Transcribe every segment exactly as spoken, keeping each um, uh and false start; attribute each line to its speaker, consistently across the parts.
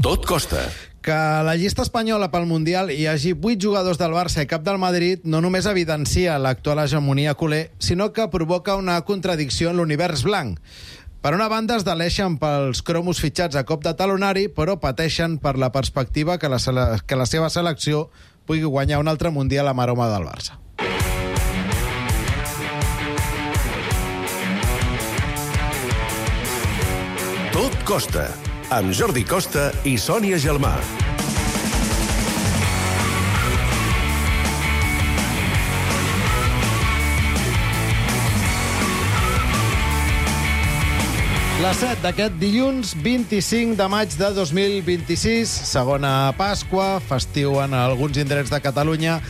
Speaker 1: Tot costa.
Speaker 2: Que a la llista espanyola pel Mundial hi hagi vuit jugadors del Barça i cap del Madrid no només evidencia l'actual hegemonia culer, sinó que provoca una contradicció en l'univers blanc. Per una banda, es deleixen pels cromos fitxats a cop de talonari, però pateixen per la perspectiva que la, que la seva selecció pugui guanyar un altre Mundial amb aroma del Barça.
Speaker 1: Tot costa, amb Jordi Costa i Sònia Gelmà.
Speaker 2: La set d'aquest dilluns vint-i-cinc de maig de dos mil vint-i-sis, segona Pasqua, festiu en alguns indrets de Catalunya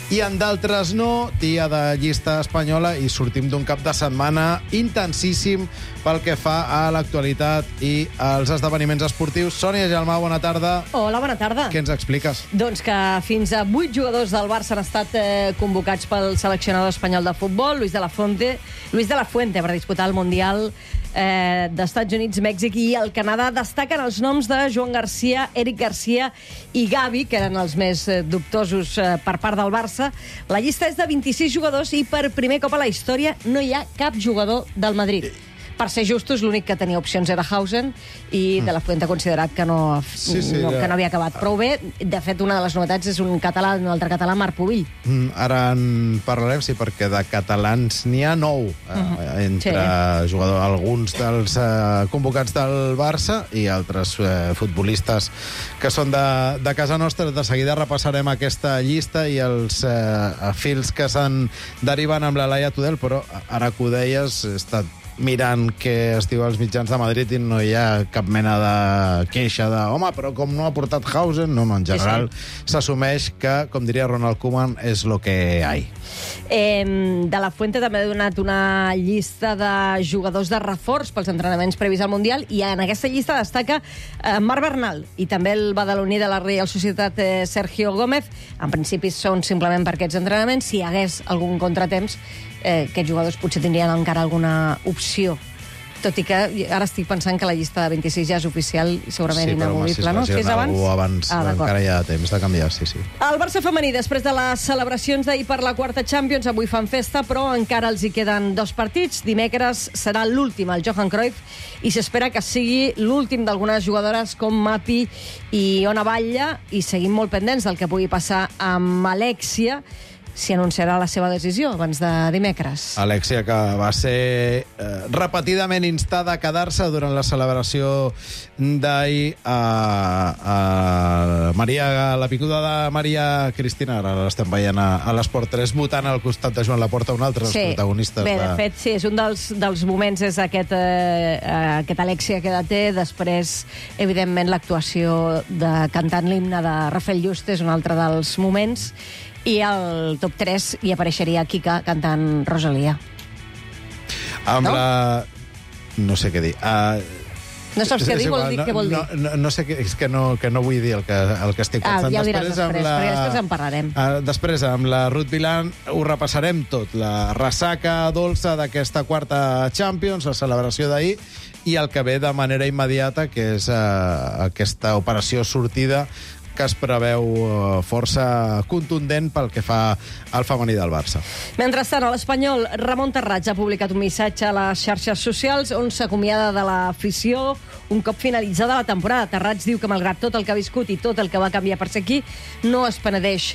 Speaker 2: i en d'altres no, dia de llista espanyola, i sortim d'un cap de setmana intensíssim pel que fa a l'actualitat i als esdeveniments esportius. Sònia Gelmà, bona tarda.
Speaker 3: Hola, bona tarda.
Speaker 2: Què ens expliques?
Speaker 3: Doncs que fins a vuit jugadors del Barça han estat eh, convocats pel seleccionador espanyol de futbol, Luis de la Fuente, Luis de la Fuente, per disputar el Mundial eh, d'Estats Units, Mèxic i el Canadà. Destaquen els noms de Joan Garcia, Eric Garcia i Gavi, que eren els més eh, dubtosos eh, per part del Barça. La llista és de vint-i-sis jugadors i per primer cop a la història no hi ha cap jugador del Madrid. Per ser justos, l'únic que tenia opcions era Hausen i de la Fuente ha considerat que no,
Speaker 2: sí, sí,
Speaker 3: no,
Speaker 2: ja.
Speaker 3: que no havia acabat prou bé. De fet, una de les novetats és un català, un altre català, Marc Pubill.
Speaker 2: Mm, ara en parlarem, sí, perquè de catalans n'hi ha nou, eh, uh-huh. entre sí. jugadors, alguns dels eh, convocats del Barça i altres eh, futbolistes que són de, de casa nostra. De seguida repassarem aquesta llista i els eh, fils que se'n deriven amb la Laia Tudel, però ara que ho deies, he estat mirant què es diu als mitjans de Madrid i no hi ha cap mena de queixa de home, però com no ha portat Hausen, no, no, en general s'assumeix que, com diria Ronald Koeman, és lo que hay.
Speaker 3: Eh, de la Fuente també ha donat una llista de jugadors de reforç pels entrenaments previs al Mundial i en aquesta llista destaca eh, Marc Bernal i també el badaloní de la Reial Societat eh, Sergio Gómez. En principi són simplement per aquests entrenaments. Si hi hagués algun contratemps, eh, aquests jugadors potser tindrien encara alguna opció. Tot i que ara estic pensant que la llista de vint-i-sis ja és oficial i segurament
Speaker 2: sí,
Speaker 3: inamovible,
Speaker 2: però,
Speaker 3: no?
Speaker 2: Si
Speaker 3: és abans?
Speaker 2: abans ah, encara hi ha temps de canviar, sí, sí.
Speaker 3: El Barça femení, després de les celebracions d'ahir per la quarta Champions, avui fan festa, però encara els hi queden dos partits. Dimecres serà l'últim, el Johan Cruyff, i s'espera que sigui l'últim d'algunes jugadores com Mapi i Ona Batlle, i seguim molt pendents del que pugui passar amb Alexia, si anunciarà la seva decisió abans de dimecres.
Speaker 2: Alexia, que va ser eh, repetidament instada a quedar-se durant la celebració d'ahir a, a Maria, la picuda de Maria Cristina, ara l'estem veient a, a l'Esport tres, votant al costat de Joan Laporta, un altre dels
Speaker 3: sí.
Speaker 2: protagonistes.
Speaker 3: Bé, de...
Speaker 2: de
Speaker 3: fet, sí, és un dels, dels moments, és aquest, eh, aquest Alexia que té, després, evidentment, l'actuació de cantant l'himne de Rafael Juste és un altre dels moments, i al top tres hi apareixeria Kika cantant Rosalia.
Speaker 2: Amb
Speaker 3: no?
Speaker 2: la... No sé què dir. Uh...
Speaker 3: No saps què dir? Vol dir
Speaker 2: no,
Speaker 3: què vol dir?
Speaker 2: No, no, no sé què, és que no, que no vull dir el que, el que estic pensant.
Speaker 3: Ah, ja ho diràs després, després,
Speaker 2: la,
Speaker 3: perquè després en parlarem.
Speaker 2: Uh, després, amb la Ruth Vilan, ho repassarem tot. La ressaca dolça d'aquesta quarta Champions, la celebració d'ahir, i el que ve de manera immediata, que és uh, aquesta operació sortida que es preveu força contundent pel que fa al femení del Barça.
Speaker 3: Mentrestant, a l'Espanyol, Ramon Terrats ha publicat un missatge a les xarxes socials on s'acomiada de l'afició un cop finalitzada la temporada. Terrats diu que, malgrat tot el que ha viscut i tot el que va canviar per ser aquí, no es penedeix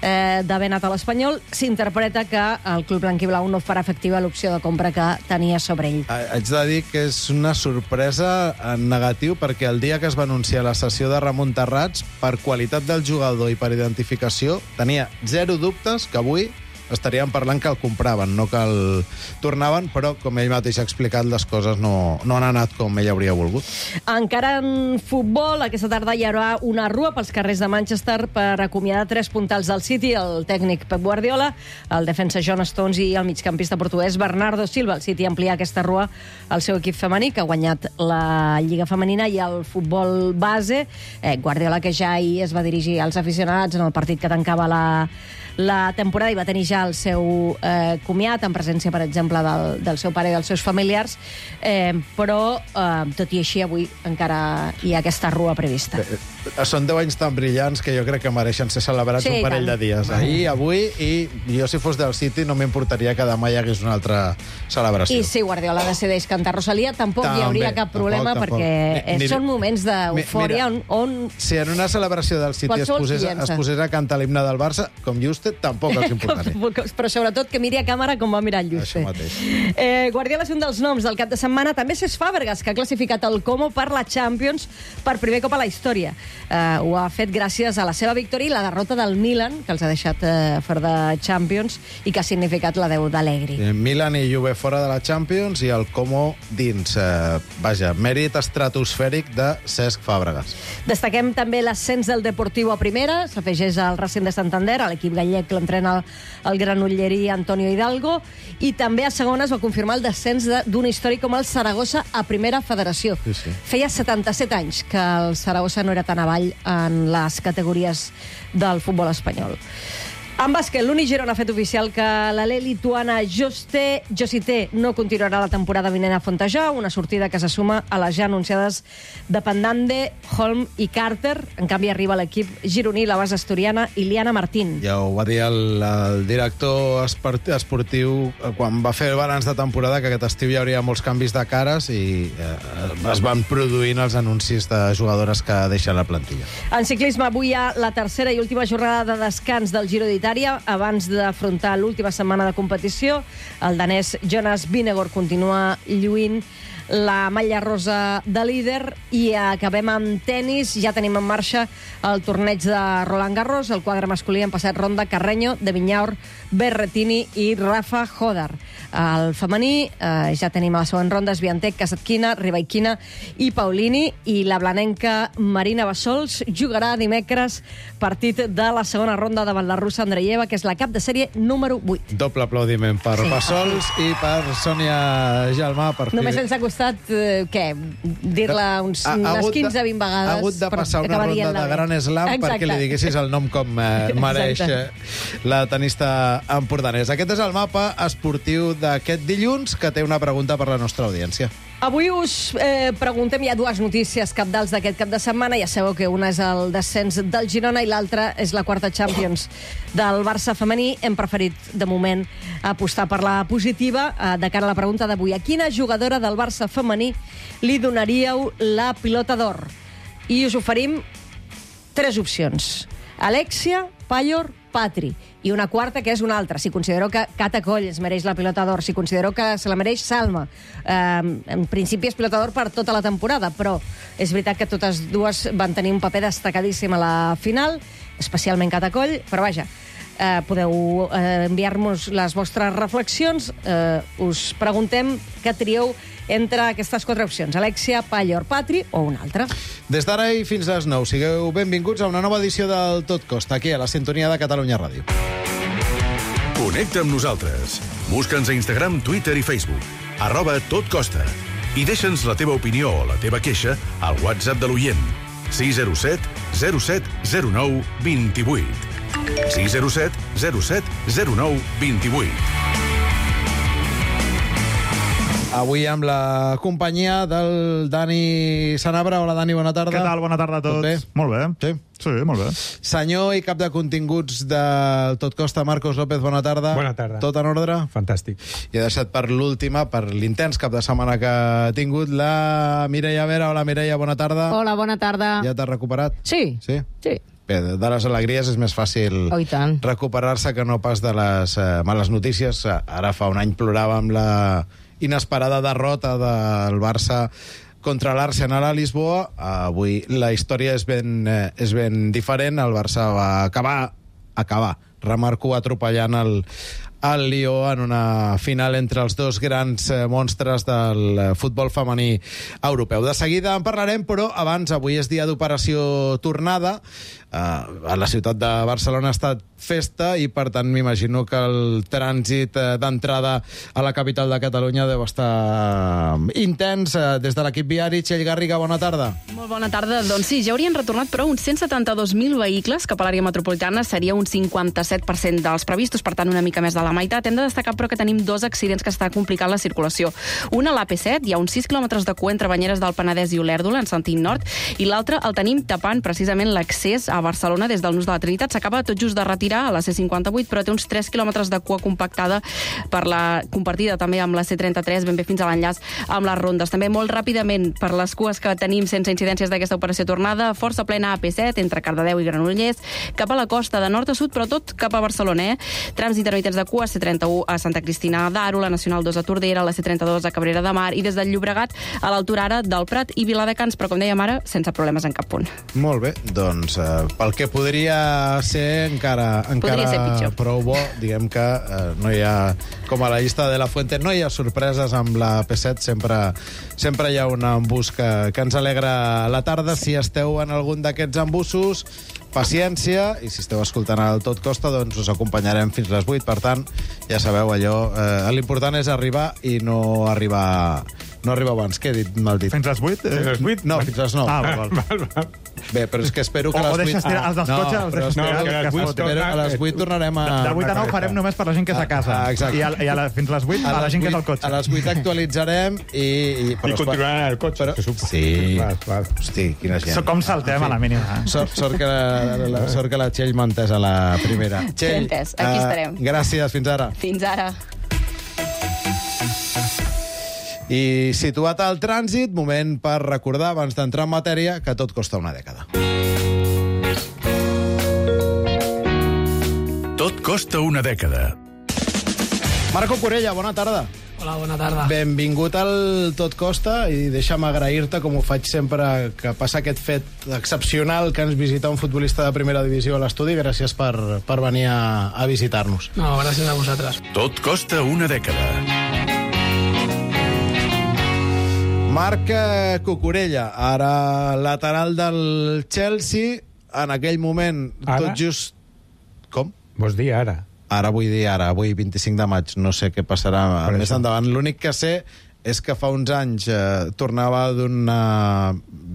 Speaker 3: eh, d'haver anat a l'Espanyol. S'interpreta que el club blanquiblau no farà efectiva l'opció de compra que tenia sobre ell.
Speaker 2: Haig de dir que és una sorpresa en negatiu, perquè el dia que es va anunciar la cessió de Ramon Terrats, per qualitat del jugador i per identificació, tenia zero dubtes que avui estaríem parlant que el compraven, no que el tornaven, però, com ell mateix ha explicat, les coses no, no han anat com ell hauria volgut.
Speaker 3: Encara en futbol, aquesta tarda hi haurà una rua pels carrers de Manchester per acomiadar tres puntals del City, el tècnic Pep Guardiola, el defensa John Stones i el migcampista portuguès Bernardo Silva. El City amplia aquesta rua al seu equip femení, que ha guanyat la Lliga Femenina i el futbol base. Eh, Guardiola, que ja ahir es va dirigir als aficionats en el partit que tancava la la temporada i va tenir ja el seu eh, comiat, en presència, per exemple, del, del seu pare i dels seus familiars, eh, però, eh, tot i així, avui encara hi ha aquesta rua prevista.
Speaker 2: Eh, eh, són deu anys tan brillants que jo crec que mereixen ser celebrats
Speaker 3: Sí,
Speaker 2: un parell
Speaker 3: tant.
Speaker 2: de dies. Ahir, avui, i jo, si fos del City, no m'importaria que demà hi hagués una altra celebració.
Speaker 3: I si Guardiola decideix cantar Rosalia, tampoc
Speaker 2: També,
Speaker 3: hi hauria cap problema,
Speaker 2: tampoc, tampoc.
Speaker 3: perquè
Speaker 2: Ni- ni-
Speaker 3: són moments d'eufòria on, on...
Speaker 2: Si en una celebració del City es
Speaker 3: Qualsevol
Speaker 2: posés,
Speaker 3: criança.
Speaker 2: es posés a cantar l'himne del Barça, com Juste, tampoc els importaria.
Speaker 3: Però sobretot que miri a càmera com va mirar el Juste.
Speaker 2: Això mateix.
Speaker 3: Eh, Guardiola és un dels noms del cap de setmana. També Cesc Fàbregas, que ha classificat el Como per la Champions per primer cop a la història. Eh, ho ha fet gràcies a la seva victòria i la derrota del Milan, que els ha deixat eh, fora de Champions i que ha significat l'adeu d'Allegri.
Speaker 2: Eh, Milan i Juve fora de la Champions i el Como dins. Eh, vaja, mèrit estratosfèric de Cesc Fàbregas.
Speaker 3: Destaquem també l'ascens del Deportiu a primera, s'afegeix al Racing de Santander, a l'equip gallec l'entrena el, el granollerí Antonio Hidalgo, i també a segona es va confirmar el descens de- d'un històric com el Saragossa a primera federació.
Speaker 2: Sí, sí.
Speaker 3: Feia setanta-set anys que el Saragossa no era tan avall en les categories del futbol espanyol. En bàsquet, l'Uni Girona ha fet oficial que l'alè lituana Juste Josité no continuarà la temporada vinent a Fontajau, una sortida que se suma a les ja anunciades de Pendande, Holm i Carter. En canvi, arriba a l'equip gironí la base asturiana Iliana Martín.
Speaker 2: Ja ho va dir el, el director esport- esportiu eh, quan va fer el balanç de temporada, que aquest estiu hi hauria molts canvis de cares i eh, es van produint els anuncis de jugadores que deixen la plantilla.
Speaker 3: En ciclisme, avui hi ha la tercera i última jornada de descans del Giro d'Itàlia abans d'afrontar l'última setmana de competició. El danès Jonas Vingegaard continua lluint la malla rosa de líder i acabem amb tennis. Ja tenim en marxa el torneig de Roland Garros. El quadre masculí han passat ronda Carreño, De Vinyaur, Berrettini i Rafa Hodar. El femení eh, ja tenim a la següent ronda Swiatek, Kasatkina, Rybakina i Paulini, i la blanenca Marina Bassols jugarà dimecres partit de la segona ronda davant la russa Andreieva, que és la cap de sèrie número vuit.
Speaker 2: Doble aplaudiment per
Speaker 3: Sí.
Speaker 2: Bassols i per Sònia Gelmà. Per
Speaker 3: Només ens ha costat, eh, què, dir-la uns,
Speaker 2: Ha- ha
Speaker 3: unes
Speaker 2: hagut de-
Speaker 3: quinze vint vegades.
Speaker 2: Ha hagut de
Speaker 3: per
Speaker 2: passar una
Speaker 3: acabar
Speaker 2: ronda
Speaker 3: dient-la
Speaker 2: de
Speaker 3: bé.
Speaker 2: Gran Slam
Speaker 3: Exacte.
Speaker 2: perquè li diguessis el nom com eh, mereix
Speaker 3: Exacte.
Speaker 2: eh, la tenista empordanès. Aquest és el mapa esportiu d'aquest dilluns, que té una pregunta per la nostra audiència.
Speaker 3: Avui us eh, preguntem, hi ha dues notícies cabdals d'aquest cap de setmana. Ja sabeu que una és el descens del Girona i l'altra és la quarta Champions del Barça femení. Hem preferit, de moment, apostar per la positiva eh, de cara a la pregunta d'avui. A quina jugadora del Barça femení li donaríeu la pilota d'or? I us oferim tres opcions. Alexia, Pallor, Patri. I una quarta, que és una altra. Si considereu que Cata Coll es mereix la pilota d'or, si considereu que se la mereix Salma. Eh, en principi és pilota d'or per tota la temporada, però és veritat que totes dues van tenir un paper destacadíssim a la final, especialment Cata Coll, però vaja, eh, podeu eh, enviar-nos les vostres reflexions. Eh, us preguntem què trieu entre aquestes quatre opcions, Alexia, Pallor, Patri o una altra.
Speaker 2: Des d'ara i fins a les nou, sigueu benvinguts a una nova edició del Tot Costa, aquí a la sintonia de Catalunya Ràdio.
Speaker 1: Connecta amb nosaltres. Busca'ns a Instagram, Twitter i Facebook. Arroba Tot Costa. I deixa'ns la teva opinió o la teva queixa al WhatsApp de l'oient. sis zero set zero set zero nou dos vuit. sis zero set zero set zero nou dos vuit.
Speaker 2: Avui amb la companyia del Dani Sanabra. Hola, Dani, bona tarda.
Speaker 4: Què tal? Bona tarda a tots.
Speaker 2: Tot bé?
Speaker 4: Molt bé.
Speaker 2: Sí?
Speaker 4: Sí, molt bé.
Speaker 2: Senyor i cap de continguts del Tot Costa, Marcos López, bona tarda.
Speaker 5: Bona tarda.
Speaker 2: Tot en ordre?
Speaker 5: Fantàstic.
Speaker 2: I he deixat per l'última, per l'intens cap de setmana que ha tingut, la Mireia Vera. Hola, Mireia, bona tarda.
Speaker 6: Hola, bona tarda.
Speaker 2: Ja t'has recuperat?
Speaker 6: Sí.
Speaker 2: Sí?
Speaker 6: Sí.
Speaker 2: Bé, de les alegries és més fàcil
Speaker 6: Oh, i tant.
Speaker 2: recuperar-se que no pas de les eh, males notícies. Ara fa un any ploràvem la inesperada derrota del Barça contra l'Arsenal a Lisboa. Avui la història és ben, eh, és ben diferent. El Barça va acabar, acabar, remarco, atropellant el, el Lió en una final entre els dos grans eh, monstres del eh, futbol femení europeu. De seguida en parlarem, però abans, avui és dia d'operació tornada. Uh, a la ciutat de Barcelona ha estat festa i, per tant, m'imagino que el trànsit d'entrada a la capital de Catalunya deu estar intens. Des de l'equip viari, Txell Garriga, bona tarda.
Speaker 4: Molt bona tarda. Doncs sí, ja haurien retornat, però uns cent setanta-dos mil vehicles cap a l'àrea metropolitana, seria un cinquanta-set per cent dels previstos, per tant, una mica més de la meitat. Hem de destacar, però, que tenim dos accidents que està complicant la circulació. Una a l'A P set, hi ha uns sis quilòmetres de cua entre Banyeres del Penedès i Olèrdola, en sentit nord, i l'altre el tenim tapant precisament l'accés a Barcelona des del Nus de la Trinitat. S'acaba tot just de retirar a la C cinquanta-vuit, però té uns tres quilòmetres de cua compactada per la compartida també amb la C trenta-tres, ben bé fins a l'enllaç amb les rondes. També molt ràpidament, per les cues que tenim sense incidències d'aquesta operació tornada, força plena A P set, entre Cardedeu i Granollers, cap a la costa de nord a sud, però tot cap a Barcelona, eh? Trams intermitents de cua, C trenta-u a Santa Cristina d'Aro, la Nacional dos a Tordera, la C trenta-dos a Cabrera de Mar, i des del Llobregat a l'altura ara del Prat i Viladecans, però com dèiem ara, sense problemes en cap punt.
Speaker 2: Molt bé, doncs eh, pel que podria ser encara, encara
Speaker 4: ser pitjor.
Speaker 2: Prou bo, diguem que eh, no hi ha, com a la llista de la Fuente, no hi ha sorpreses amb la P set, sempre, sempre hi ha un embús que, que ens alegra la tarda. Si esteu en algun d'aquests embussos, paciència, i si esteu escoltant el Tot Costa, doncs us acompanyarem fins les vuit. Per tant, ja sabeu allò, eh, l'important és arribar i no arribar... No arriba abans, què he dit? Mal dit.
Speaker 5: Fins les vuit?
Speaker 6: Fins les vuit?
Speaker 2: No, fins les nou.
Speaker 5: Ah, val, val.
Speaker 6: Val, val.
Speaker 2: Bé, però és que espero que
Speaker 5: O-
Speaker 2: a
Speaker 5: o
Speaker 2: les vuit...
Speaker 5: deixes tirar els dels cotxes, els
Speaker 2: però
Speaker 5: deixes
Speaker 2: espero,
Speaker 6: tirar,
Speaker 2: que,
Speaker 6: que a les vuit
Speaker 2: espero,
Speaker 6: torna-
Speaker 2: a les vuit tornarem a...
Speaker 5: De vuit a nou farem només per la gent que és a casa.
Speaker 2: Ah, exacte.
Speaker 5: I, a, i a la, fins les vuit a la gent que és al cotxe.
Speaker 2: A les vuit actualitzarem i... I,
Speaker 6: I continuaran el cotxe,
Speaker 2: Però,
Speaker 6: se supo.
Speaker 2: sí.
Speaker 6: Val, val.
Speaker 2: Hosti, quina gent.
Speaker 5: So, com saltem a la mínima. Eh?
Speaker 2: Sort, sort, que la, la, sort que la Txell m'ha entès a la primera. Txell,
Speaker 4: entès, aquí
Speaker 2: eh,
Speaker 4: estarem.
Speaker 2: Gràcies, fins ara.
Speaker 4: Fins ara.
Speaker 2: I situat al trànsit, moment per recordar, abans d'entrar en matèria, que tot costa una dècada.
Speaker 1: Tot costa una dècada.
Speaker 2: Marco Corella, bona tarda.
Speaker 7: Hola, bona tarda.
Speaker 2: Benvingut al Tot Costa i deixa'm agrair-te, com ho faig sempre que passa aquest fet excepcional que ens visita un futbolista de primera divisió a l'estudi. Gràcies per, per venir a, a visitar-nos.
Speaker 7: No, gràcies a vosaltres.
Speaker 1: Tot costa una dècada.
Speaker 2: Marc eh, Cucurella, ara lateral del Chelsea, en aquell moment,
Speaker 6: Ara?
Speaker 2: tot just... Com?
Speaker 6: Vols dir ara?
Speaker 2: Ara vull dir ara, avui vint-i-cinc de maig, no sé què passarà
Speaker 6: Per
Speaker 2: més
Speaker 6: això.
Speaker 2: endavant. L'únic que sé és que fa uns anys eh, tornava d'una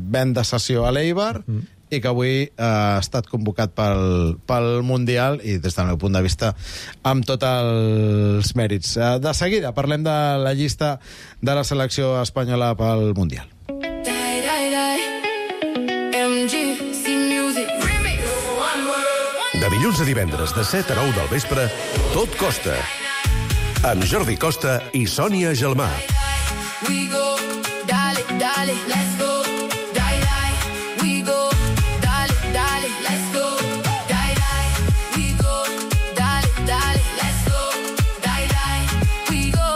Speaker 2: venda sessió a l'Eibar mm. i que avui eh, ha estat convocat pel, pel Mundial i, des del meu punt de vista, amb tots els mèrits. Eh, de seguida parlem de la llista de la selecció espanyola pel Mundial.
Speaker 1: De dilluns a divendres, de set a nou del vespre, Tot Costa. Amb Jordi Costa i Sònia Gelmà.
Speaker 8: We go, dale, dale, let's go. Die, die, we go, dale, dale, let's go. Die, die, we go, dale, dale, let's go. Die, die, we go,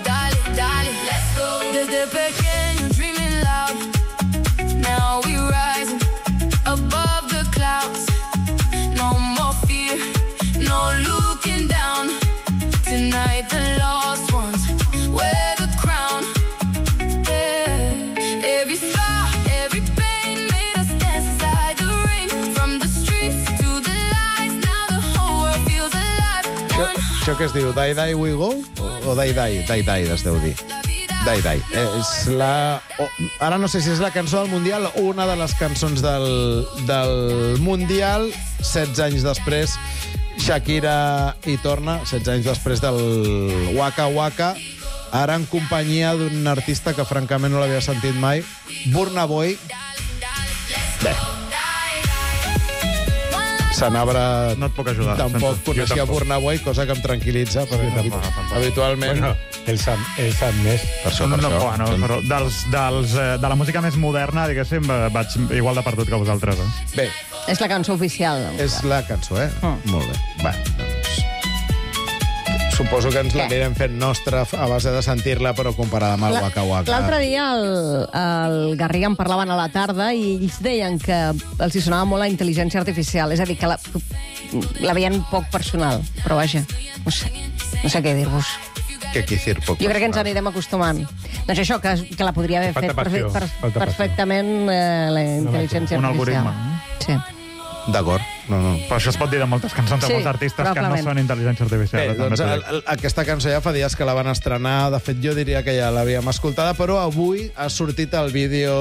Speaker 8: dale, dale, let's go. Desde pequeño dreaming loud, now we rising above the clouds. No more fear, no looking down. Tonight the lost ones wear the crown. Yeah. Every scar, every pain made us dance inside the rain. From the streets to the lights, now the whole world feels alive.
Speaker 2: Això, això que es diu Die Die We Go? O, o Die Die? Die Die es deu dir. Die Die. Eh, és la... O, ara no sé si és la cançó del Mundial o una de les cançons del, del Mundial. setze anys després, Shakira hi torna, setze anys després del Waka Waka, ara en companyia d'un artista que francament no l'havia sentit mai, Burna Boy. Bé. Sanabra
Speaker 5: No et puc ajudar.
Speaker 2: tampoc
Speaker 5: Sento.
Speaker 2: coneixia Burna Boy, cosa que em tranquil·litza, perquè
Speaker 5: tampoc, tampoc.
Speaker 2: habitualment...
Speaker 6: Bueno, ell sap, ell sap més.
Speaker 2: Per això,
Speaker 5: No,
Speaker 2: per
Speaker 5: no,
Speaker 2: això.
Speaker 5: bueno, però dels, dels, eh, de la música més moderna, diguéssim, eh, vaig igual de perdut que vosaltres. Eh?
Speaker 2: Bé,
Speaker 3: És la cançó oficial.
Speaker 2: és la cançó, eh?
Speaker 3: Mm.
Speaker 2: Molt bé. Va, doncs... Suposo que ens
Speaker 3: Què?
Speaker 2: l'anirem fent nostra a base de sentir-la, però comparada amb el
Speaker 3: La-
Speaker 2: Waka Waka.
Speaker 3: L'altre dia el, el Garriga en parlaven a la tarda i ells deien que els hi sonava molt la intel·ligència artificial, és a dir, que la, la veien poc personal, però vaja, no sé, no sé què dir-vos.
Speaker 2: Que quicir poc.
Speaker 3: Jo crec que ens anirem acostumant. Doncs això, que, que la podria haver
Speaker 6: Falta
Speaker 3: fet
Speaker 6: passió,
Speaker 3: per, per,
Speaker 6: falta passió.
Speaker 3: perfectament eh, la intel·ligència
Speaker 5: Un
Speaker 3: artificial.
Speaker 5: algoritme.
Speaker 3: Sí.
Speaker 2: D'acord. no, no.
Speaker 5: Però això es pot dir de moltes cançons, de
Speaker 3: Sí,
Speaker 5: molts artistes que no
Speaker 3: probablement.
Speaker 5: són intel·ligència artificial.
Speaker 2: Bé, doncs el, el, aquesta cançó ja fa dies que la van estrenar. De fet, jo diria que ja l'havíem escoltada, però avui ha sortit el vídeo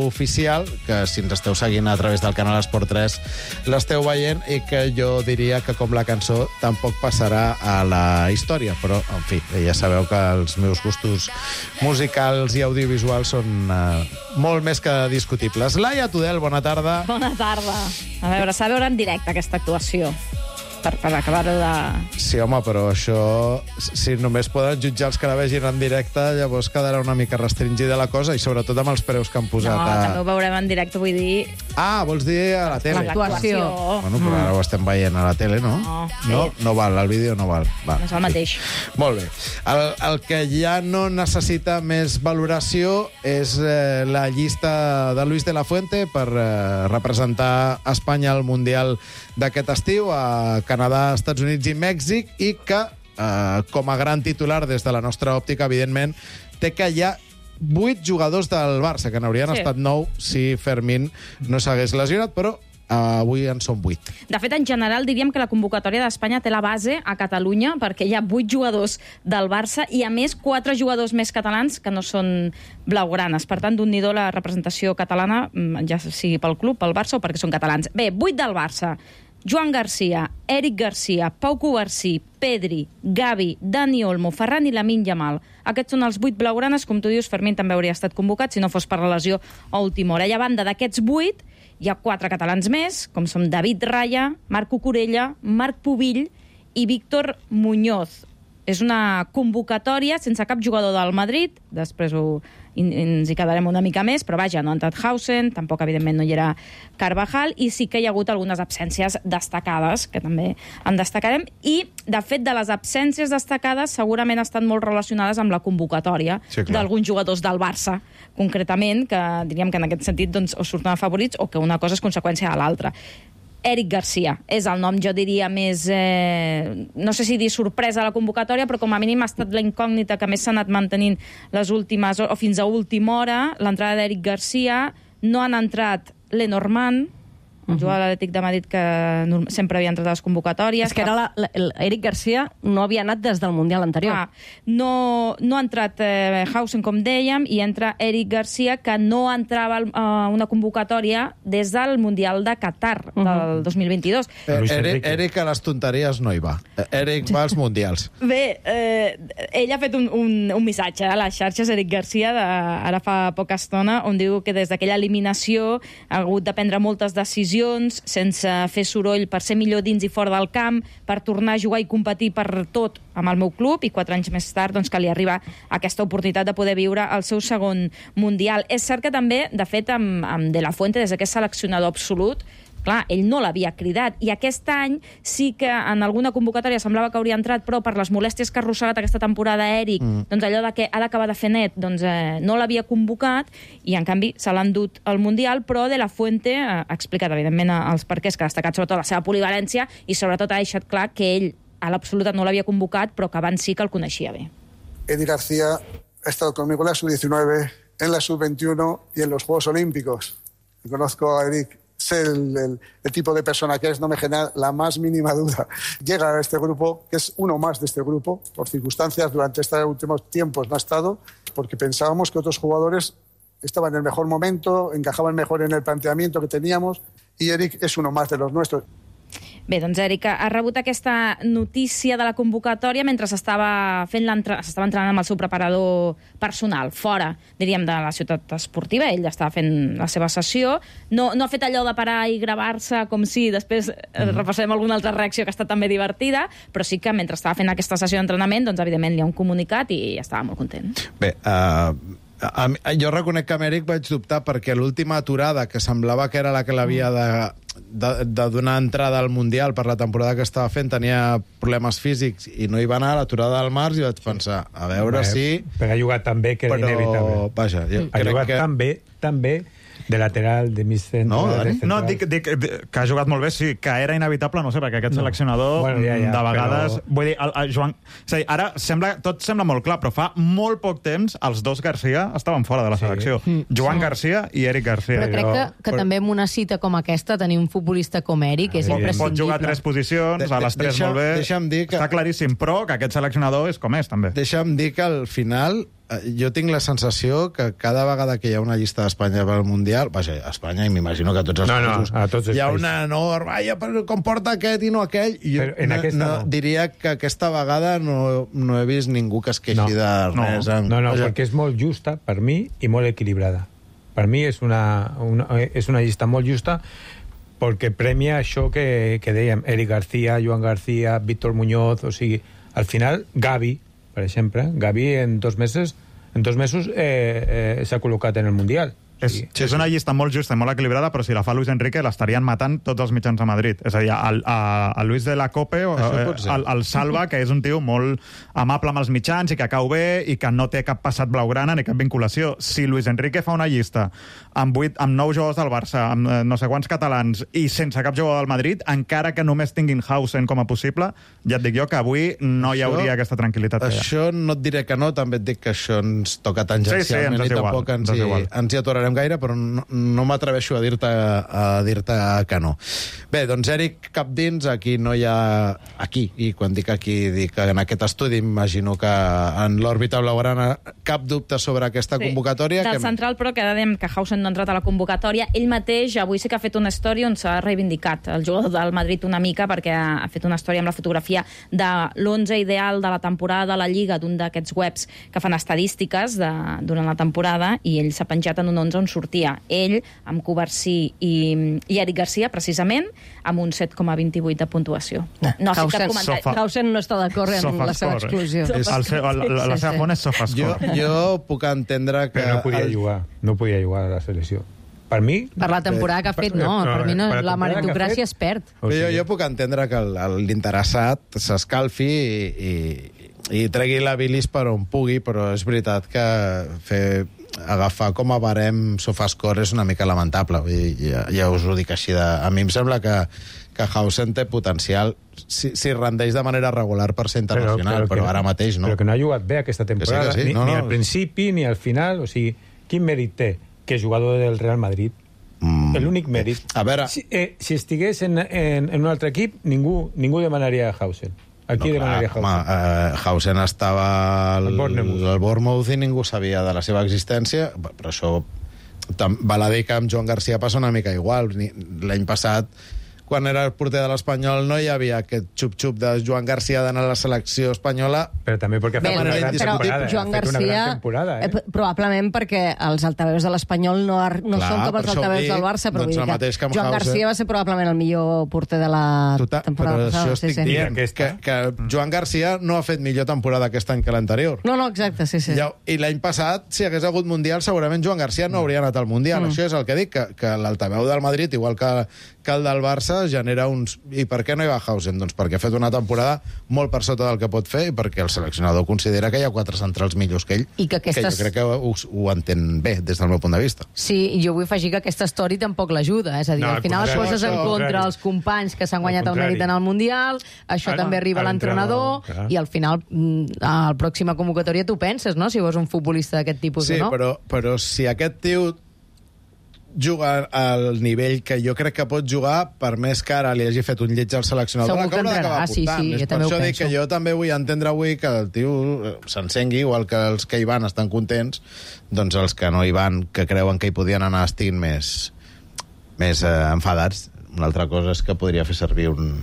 Speaker 2: oficial, que si ens esteu seguint a través del canal Esport tres l'esteu veient, i que jo diria que, com la cançó, tampoc passarà a la història. Però, en fi, ja sabeu que els meus gustos musicals i audiovisuals són eh, molt més que discutibles. Laia Tudel, bona tarda.
Speaker 9: Bona tarda. A veure, s'ha de veure en directe aquesta actuació, per, per acabar-ho de...
Speaker 2: Sí, home, però això, si només poden jutjar els que la vegin en directe, llavors quedarà una mica restringida la cosa, i sobretot amb els preus que han posat.
Speaker 9: No,
Speaker 2: a...
Speaker 9: també ho veurem en directe, vull dir...
Speaker 2: Ah, vols dir a la tele?
Speaker 9: L'actuació.
Speaker 2: Bueno, però ara ho estem veient a la tele, no?
Speaker 9: No.
Speaker 2: No, no val, el vídeo no val. Va.
Speaker 9: No és el mateix.
Speaker 2: Molt bé. El, el que ja no necessita més valoració és eh, la llista de Luis de la Fuente per eh, representar Espanya al Mundial d'aquest estiu a Canadà, Estats Units i Mèxic, i que, eh, com a gran titular des de la nostra òptica, evidentment, té que hi ha vuit jugadors del Barça, que n'haurien
Speaker 9: Sí.
Speaker 2: estat nou si Fermín no s'hagués lesionat, però eh, avui en són vuit.
Speaker 9: De fet, en general, diríem que la convocatòria d'Espanya té la base a Catalunya, perquè hi ha vuit jugadors del Barça i, a més, quatre jugadors més catalans que no són blaugranes. Per tant, d'un-n'hi-do la representació catalana, ja sigui pel club, pel Barça o perquè són catalans. Bé, vuit del Barça. Joan Garcia, Eric Garcia, Pau Covarsí, Pedri, Gavi, Dani Olmo, Ferran i Lamine Yamal. Aquests són els vuit blaugranes. Com tu dius, Fermín també hauria estat convocat si no fos per la lesió a última hora. I a banda d'aquests vuit, hi ha quatre catalans més, com són David Raya, Marc Cucurella, Marc Pubill i Víctor Muñoz. És una convocatòria sense cap jugador del Madrid, després ho, in, ens hi quedarem una mica més, però vaja, no ha entrat Hausen, tampoc, evidentment, no hi era Carvajal, i sí que hi ha hagut algunes absències destacades, que també en destacarem, i, de fet, de les absències destacades segurament estan molt relacionades amb la convocatòria
Speaker 2: Sí, clar.
Speaker 9: d'alguns jugadors del Barça, concretament, que diríem que en aquest sentit doncs, o surten afavorits o que una cosa és conseqüència de l'altra. Eric Garcia és el nom, jo diria, més... Eh, no sé si dir sorpresa a la convocatòria, però com a mínim ha estat la incògnita que més s'ha anat mantenint les últimes hores, o fins a última hora, l'entrada d'Eric Garcia. No han entrat Lenormand, el jugador de l'Atlètic de Madrid, que norm- sempre havia entrat a les convocatòries.
Speaker 3: És que era la, la, l'Eric Garcia no havia anat des del Mundial anterior.
Speaker 9: Ah, no, no ha entrat eh, Hausen, com dèiem, i entra Eric Garcia, que no entrava a una convocatòria des del Mundial de Qatar, uh -huh. del dos mil vint-i-dos.
Speaker 2: Eh,
Speaker 6: Luis
Speaker 2: Eric,
Speaker 6: Enrique.
Speaker 2: Eric a les tonteries no hi va. Eh, Eric va als Mundials.
Speaker 9: Bé, eh, ell ha fet un, un, un missatge a les xarxes, Eric Garcia, de, ara fa poca estona, on diu que des d'aquella eliminació ha hagut de prendre moltes decisions sense fer soroll per ser millor dins i fora del camp, per tornar a jugar i competir per tot amb el meu club, i quatre anys més tard doncs, que li arriba aquesta oportunitat de poder viure el seu segon Mundial. És cert que també, de fet, amb, amb De La Fuente, des que és seleccionador absolut, clar, ell no l'havia cridat, i aquest any sí que en alguna convocatòria semblava que hauria entrat, però per les molèsties que ha arrossegat aquesta temporada Eric, mm. doncs allò de que ha d'acabar de fer net, doncs eh, no l'havia convocat, i en canvi se l'ha endut al Mundial, però De La Fuente eh, ha explicat, evidentment, els perquès, que ha destacat sobretot la seva polivalència, i sobretot ha deixat clar que ell a l'absoluta no l'havia convocat, però que abans sí que el coneixia bé.
Speaker 10: Eric García ha estado conmigo en la sub diecinueve, en la sub veintiuno y en los Juegos Olímpicos. Conozco a Eric, sé el, el, el tipo de persona que es, no me genera la más mínima duda. Llega a este grupo, que es uno más de este grupo, por circunstancias durante estos últimos tiempos no ha estado, porque pensábamos que otros jugadores estaban en el mejor momento, encajaban mejor en el planteamiento que teníamos, y Eric es uno más de los nuestros.
Speaker 9: Bé, doncs Eric ha rebut aquesta notícia de la convocatòria mentre s'estava fent l'entre... s'estava entrenant amb el seu preparador personal, fora, diríem, de la ciutat esportiva. Ell estava fent la seva sessió. No, no ha fet allò de parar i gravar-se com si després mm. repassem alguna altra reacció que ha estat també divertida, però sí que mentre estava fent aquesta sessió d'entrenament, doncs evidentment li ha un comunicat i estava molt content.
Speaker 2: Bé, uh, a, a, jo reconec que amb Eric vaig dubtar perquè l'última aturada, que semblava que era la que l'havia de, de, de donar entrada al Mundial per la temporada que estava fent, tenia problemes físics i no hi va anar, l'aturada del març, i vaig pensar, a veure
Speaker 6: Bé,
Speaker 2: si...
Speaker 6: Però ha jugat tan bé que era
Speaker 2: però,
Speaker 6: inevitable.
Speaker 2: vaja, jo
Speaker 6: Ha
Speaker 2: crec
Speaker 6: jugat
Speaker 2: que...
Speaker 6: tan bé, tan bé, De lateral, de mig centre...
Speaker 2: No,
Speaker 6: de
Speaker 2: Dani?
Speaker 6: central.
Speaker 5: No, dic, dic que ha jugat molt bé, sí, que era inevitable, no sé, perquè aquest
Speaker 6: No.
Speaker 5: seleccionador
Speaker 6: Bueno, ja, ja,
Speaker 5: de vegades...
Speaker 6: però-
Speaker 5: Vull dir, el, el Joan... És a dir, ara sembla, tot sembla molt clar, però fa molt poc temps els dos Garcia estaven fora de la selecció.
Speaker 11: Mm.
Speaker 5: Joan
Speaker 11: Sí.
Speaker 5: Garcia i Eric Garcia.
Speaker 11: Però crec que, que
Speaker 6: però-
Speaker 11: també en una cita com aquesta tenir un futbolista com Eric és
Speaker 5: Pot,
Speaker 11: imprescindible.
Speaker 5: pot jugar a tres posicions,
Speaker 2: De-
Speaker 5: a les tres
Speaker 2: deixa-
Speaker 5: molt bé.
Speaker 2: deixa'm dir que-
Speaker 5: Està claríssim, però que aquest seleccionador és com és, també.
Speaker 2: Deixa'm dir que al final eh, jo tinc la sensació que cada vegada que hi ha una llista d'Espanya pel Mundial, vaja, a Espanya i m'imagino que a tots els
Speaker 6: No, no,
Speaker 2: països,
Speaker 6: a tots els
Speaker 2: hi ha
Speaker 6: països.
Speaker 2: una enorme, ai, però com porta aquest i no aquell. I jo
Speaker 6: Però en
Speaker 2: no,
Speaker 6: aquesta
Speaker 2: no,
Speaker 6: no.
Speaker 2: diria que aquesta vegada no, no he vist ningú que es queixi
Speaker 6: No.
Speaker 2: de
Speaker 5: No.
Speaker 2: res. en-
Speaker 6: No, no,
Speaker 2: vaja,
Speaker 6: perquè és molt justa, per mi, i molt equilibrada. Per mi és una, una, és una llista molt justa perquè premia això que, que dèiem, Eric García, Joan García, Víctor Muñoz, o sigui, al final, Gavi, per exemple, Gavi en dos mesos, en dos mesos eh, eh, s'ha col·locat en el Mundial.
Speaker 5: És, sí, és una llista molt justa i molt equilibrada, però si la fa Luis Enrique l'estarien matant tots els mitjans a Madrid. És a dir, el, a, a Luis de la Cope, o,
Speaker 2: Això
Speaker 5: eh,
Speaker 2: pot ser.
Speaker 5: el, el salva, que és un tio molt amable amb els mitjans i que cau bé i que no té cap passat blaugrana ni cap vinculació. Si Luis Enrique fa una llista amb, vuit, amb nou jugadors del Barça, amb eh, no sé quants catalans i sense cap jugador del Madrid, encara que només tinguin Hausen com a possible, ja et dic jo que avui no hi
Speaker 2: Això-
Speaker 5: hauria aquesta tranquil·litat. que hi ha.
Speaker 2: Això no et diré que no, també et dic que això ens toca
Speaker 5: Sí, sí,
Speaker 2: tangencialment
Speaker 5: ens és
Speaker 2: i
Speaker 5: igual,
Speaker 2: tampoc ens
Speaker 5: ens és
Speaker 2: hi,
Speaker 5: igual.
Speaker 2: ens hi aturarem gaire, però no, no m'atreveixo a dir-te a dir-te que no. Bé, doncs Eric Capdins, aquí no hi ha... Aquí, i quan dic aquí, dic que en aquest estudi imagino que en l'òrbita blaugrana cap dubte sobre aquesta convocatòria.
Speaker 9: Del
Speaker 2: que...
Speaker 9: central, però, que dèiem que Hausen no ha entrat a la convocatòria. Ell mateix avui sí que ha fet una història on s'ha reivindicat el jugador del Madrid una mica, perquè ha fet una història amb la fotografia de l'onze ideal de la temporada de la Lliga, d'un d'aquests webs que fan estadístiques de, durant la temporada, i ell s'ha penjat en un onze on sortia ell, amb Covarsí i, i Eric Garcia, precisament, amb un set coma vint-i-vuit de puntuació. No ha fet cap
Speaker 3: Hausen,
Speaker 9: comentari.
Speaker 5: Sofa-
Speaker 3: Hausen no està d'acord en
Speaker 5: Sofascore,
Speaker 3: la seva exclusió.
Speaker 5: eh? El seu, el, la, la seva font és
Speaker 2: Jo,
Speaker 5: Sofascore.
Speaker 2: jo puc entendre que...
Speaker 6: Però no podia
Speaker 2: el-
Speaker 6: jugar, no podia jugar a la selecció. Per mi...
Speaker 11: Per la temporada que ha fet, no. Per mi no,
Speaker 6: Per la
Speaker 11: la
Speaker 6: temporada que ha
Speaker 11: meritocràcia
Speaker 6: fet-
Speaker 11: es perd.
Speaker 6: O
Speaker 2: Però jo,
Speaker 6: sigui-
Speaker 2: jo puc entendre que el- el- l'interessat s'escalfi i, i, i tregui la bilis per on pugui, però és veritat que fer, agafar com a barem Sofascore és una mica lamentable. Vull dir, ja, ja us ho dic així. De, a mi em sembla que, que Hausen té potencial si, si rendeix de manera regular per ser internacional, però, però,
Speaker 6: que
Speaker 2: però ara mateix no.
Speaker 6: Però que no ha jugat bé aquesta temporada,
Speaker 2: Que sí, que sí,
Speaker 6: ni,
Speaker 2: no,
Speaker 6: ni
Speaker 2: no.
Speaker 6: al principi ni al final. O sigui, quin mèrit té que és jugador del Real Madrid?
Speaker 2: Mm.
Speaker 6: L'únic mèrit.
Speaker 2: A veure...
Speaker 6: Si, eh, si estigués en, en, en un altre equip, ningú, ningú demanaria a Hausen. Aquí
Speaker 2: No,
Speaker 6: demanaria
Speaker 2: clar,
Speaker 6: Hausen.
Speaker 2: home, uh, Hausen estava al,
Speaker 6: Al Bournemouth.
Speaker 2: al Bournemouth i ningú sabia de la seva existència, però això tam- val a dir que amb Joan Garcia passa una mica igual. Ni- L'any passat, quan era el porter de l'Espanyol, no hi havia aquest xup-xup de Joan Garcia d'anar a la selecció espanyola.
Speaker 6: Però també perquè ha
Speaker 3: Bé,
Speaker 6: fet una gran
Speaker 3: però
Speaker 6: temporada.
Speaker 3: Joan
Speaker 6: ha fet una
Speaker 3: Garcia,
Speaker 6: gran temporada, eh?
Speaker 3: eh, probablement perquè els altaveus de l'Espanyol no, ar- no
Speaker 2: Clar,
Speaker 3: són com
Speaker 2: per
Speaker 3: els
Speaker 2: això ho
Speaker 3: altaveus
Speaker 2: dic,
Speaker 3: del Barça, però
Speaker 2: doncs
Speaker 3: vull
Speaker 2: el
Speaker 3: dir
Speaker 2: mateix que amb
Speaker 3: Joan
Speaker 2: Hausen.
Speaker 3: Garcia va ser probablement el millor porter de la
Speaker 2: Total,
Speaker 3: temporada
Speaker 2: però
Speaker 3: passada.
Speaker 2: això estic
Speaker 3: sí, sí.
Speaker 2: dient, que,
Speaker 6: aquesta.
Speaker 2: que Joan Garcia no ha fet millor temporada aquest any que l'anterior.
Speaker 3: No, no, exacte, sí, sí.
Speaker 2: Ja, I l'any passat, si hagués hagut Mundial, segurament Joan Garcia no hauria anat al Mundial. Mm. Això és el que dic, que, que l'altaveu del Madrid, igual que, que el del Barça, genera uns... I per què no hi va Hausen? Doncs perquè ha fet una temporada molt per sota del que pot fer i perquè el seleccionador considera que hi ha quatre centrals millors que ell,
Speaker 11: I que aquestes-
Speaker 2: que jo crec que ho, ho entén bé des del meu punt de vista.
Speaker 11: Sí, i jo vull afegir que aquesta story tampoc l'ajuda. És a dir,
Speaker 6: No,
Speaker 11: al
Speaker 6: al
Speaker 11: final
Speaker 6: contrari,
Speaker 11: poses en
Speaker 6: al
Speaker 11: contra
Speaker 6: contrari.
Speaker 11: els companys que s'han
Speaker 6: Al
Speaker 11: guanyat el
Speaker 6: contrari.
Speaker 11: mèrit en el Mundial, això
Speaker 6: Ah,
Speaker 11: també arriba
Speaker 6: a
Speaker 11: a l'entrenador,
Speaker 6: l'entrenador, clar.
Speaker 11: i al final, mm, a la pròxima convocatòria tu penses, no?, si vols un futbolista d'aquest tipus
Speaker 2: Sí,
Speaker 11: o no.
Speaker 2: però, però si aquest tio juga al nivell que jo crec que pot jugar, per més que ara li hagi fet un lleig al seleccionador,
Speaker 11: Segur que
Speaker 2: l'acabarà
Speaker 11: entrarà,
Speaker 2: d'acabar
Speaker 11: sí,
Speaker 2: portant.
Speaker 11: sí,
Speaker 2: És
Speaker 11: jo
Speaker 2: per
Speaker 11: també ho
Speaker 2: això dic
Speaker 11: penso.
Speaker 2: que jo també vull entendre avui que el tio eh, s'encengui, igual que els que hi van estan contents, doncs els que no hi van, que creuen que hi podien anar, estiguin més, més eh, enfadats. Una altra cosa és que podria fer servir un,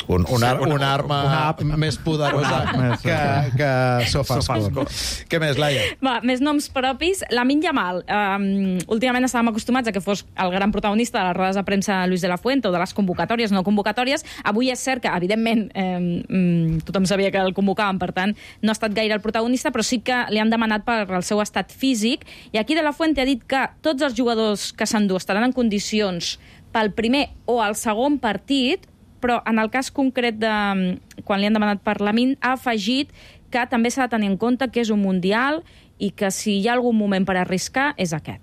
Speaker 2: un, un, ar, una arma
Speaker 5: una app.
Speaker 2: més poderosa
Speaker 5: Una app,
Speaker 2: que, que Sofascore. Què més, Laia?
Speaker 9: Va, més noms propis. Lamine Yamal. Um, últimament estàvem acostumats a que fos el gran protagonista de les rodes de premsa de Luis de la Fuente o de les convocatòries, no convocatòries. Avui és cert que, evidentment, eh, tothom sabia que el convocaven, per tant, no ha estat gaire el protagonista, però sí que li han demanat per el seu estat físic. I aquí de la Fuente ha dit que tots els jugadors que s'endú estaran en condicions pel primer o el segon partit, però en el cas concret de quan li han demanat per Lamine, ha afegit que també s'ha de tenir en compte que és un mundial i que si hi ha algun moment per arriscar és aquest.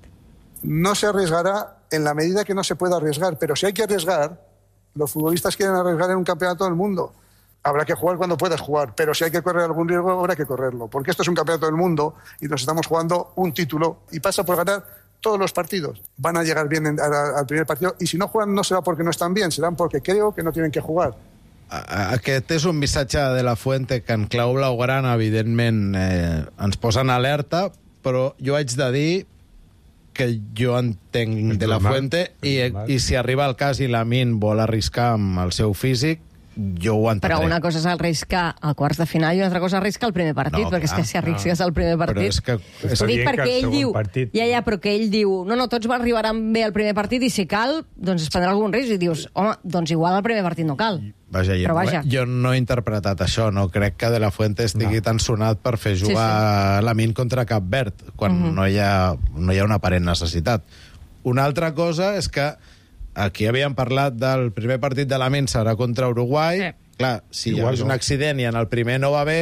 Speaker 10: no se arriesgará en la medida que no se pueda arriesgar. Pero si hay que arriesgar, los futbolistas quieren arriesgar en un campeonato del mundo. Habrá que jugar cuando puedas jugar, pero si hay que correr algún riesgo, habrá que correrlo. Porque esto es un campeonato del mundo y nos estamos jugando un título y pasa por ganar todos los partidos. Van a llegar bien al primer partido y si no juegan no será porque no están bien, serán porque creo que no tienen que jugar.
Speaker 2: Aquest és un missatge de la Fuente que en clau blaugrana, evidentment, eh, ens posa en alerta, però jo haig de dir que jo entenc de la Fuente i, i si arriba el cas i Lamine vol arriscar amb el seu físic, jo ho entendré.
Speaker 3: Però una cosa és arriscar a quarts de final i una altra cosa és arriscar el primer partit, no, perquè clar, és que si arrisques el primer partit...
Speaker 2: Però és que...
Speaker 3: És dic perquè ell diu... Partit... Ja, ja, però que ell diu... No, no, tots arribaran bé al primer partit i si cal, doncs es prendrà algun risc i dius, home, doncs igual al primer partit no cal.
Speaker 2: Vaja, jo,
Speaker 3: però vaja.
Speaker 2: jo no he interpretat això, no crec que De La Fuente estigui no. tan sonat per fer jugar sí, sí. Lamine contra Cap Verd, quan uh-huh. no, hi ha, no hi ha una aparent necessitat. Una altra cosa és que aquí havíem parlat del primer partit de Lamine serà contra Uruguai. Sí. Clar, si igual hi ha no. un accident i en el primer no va bé,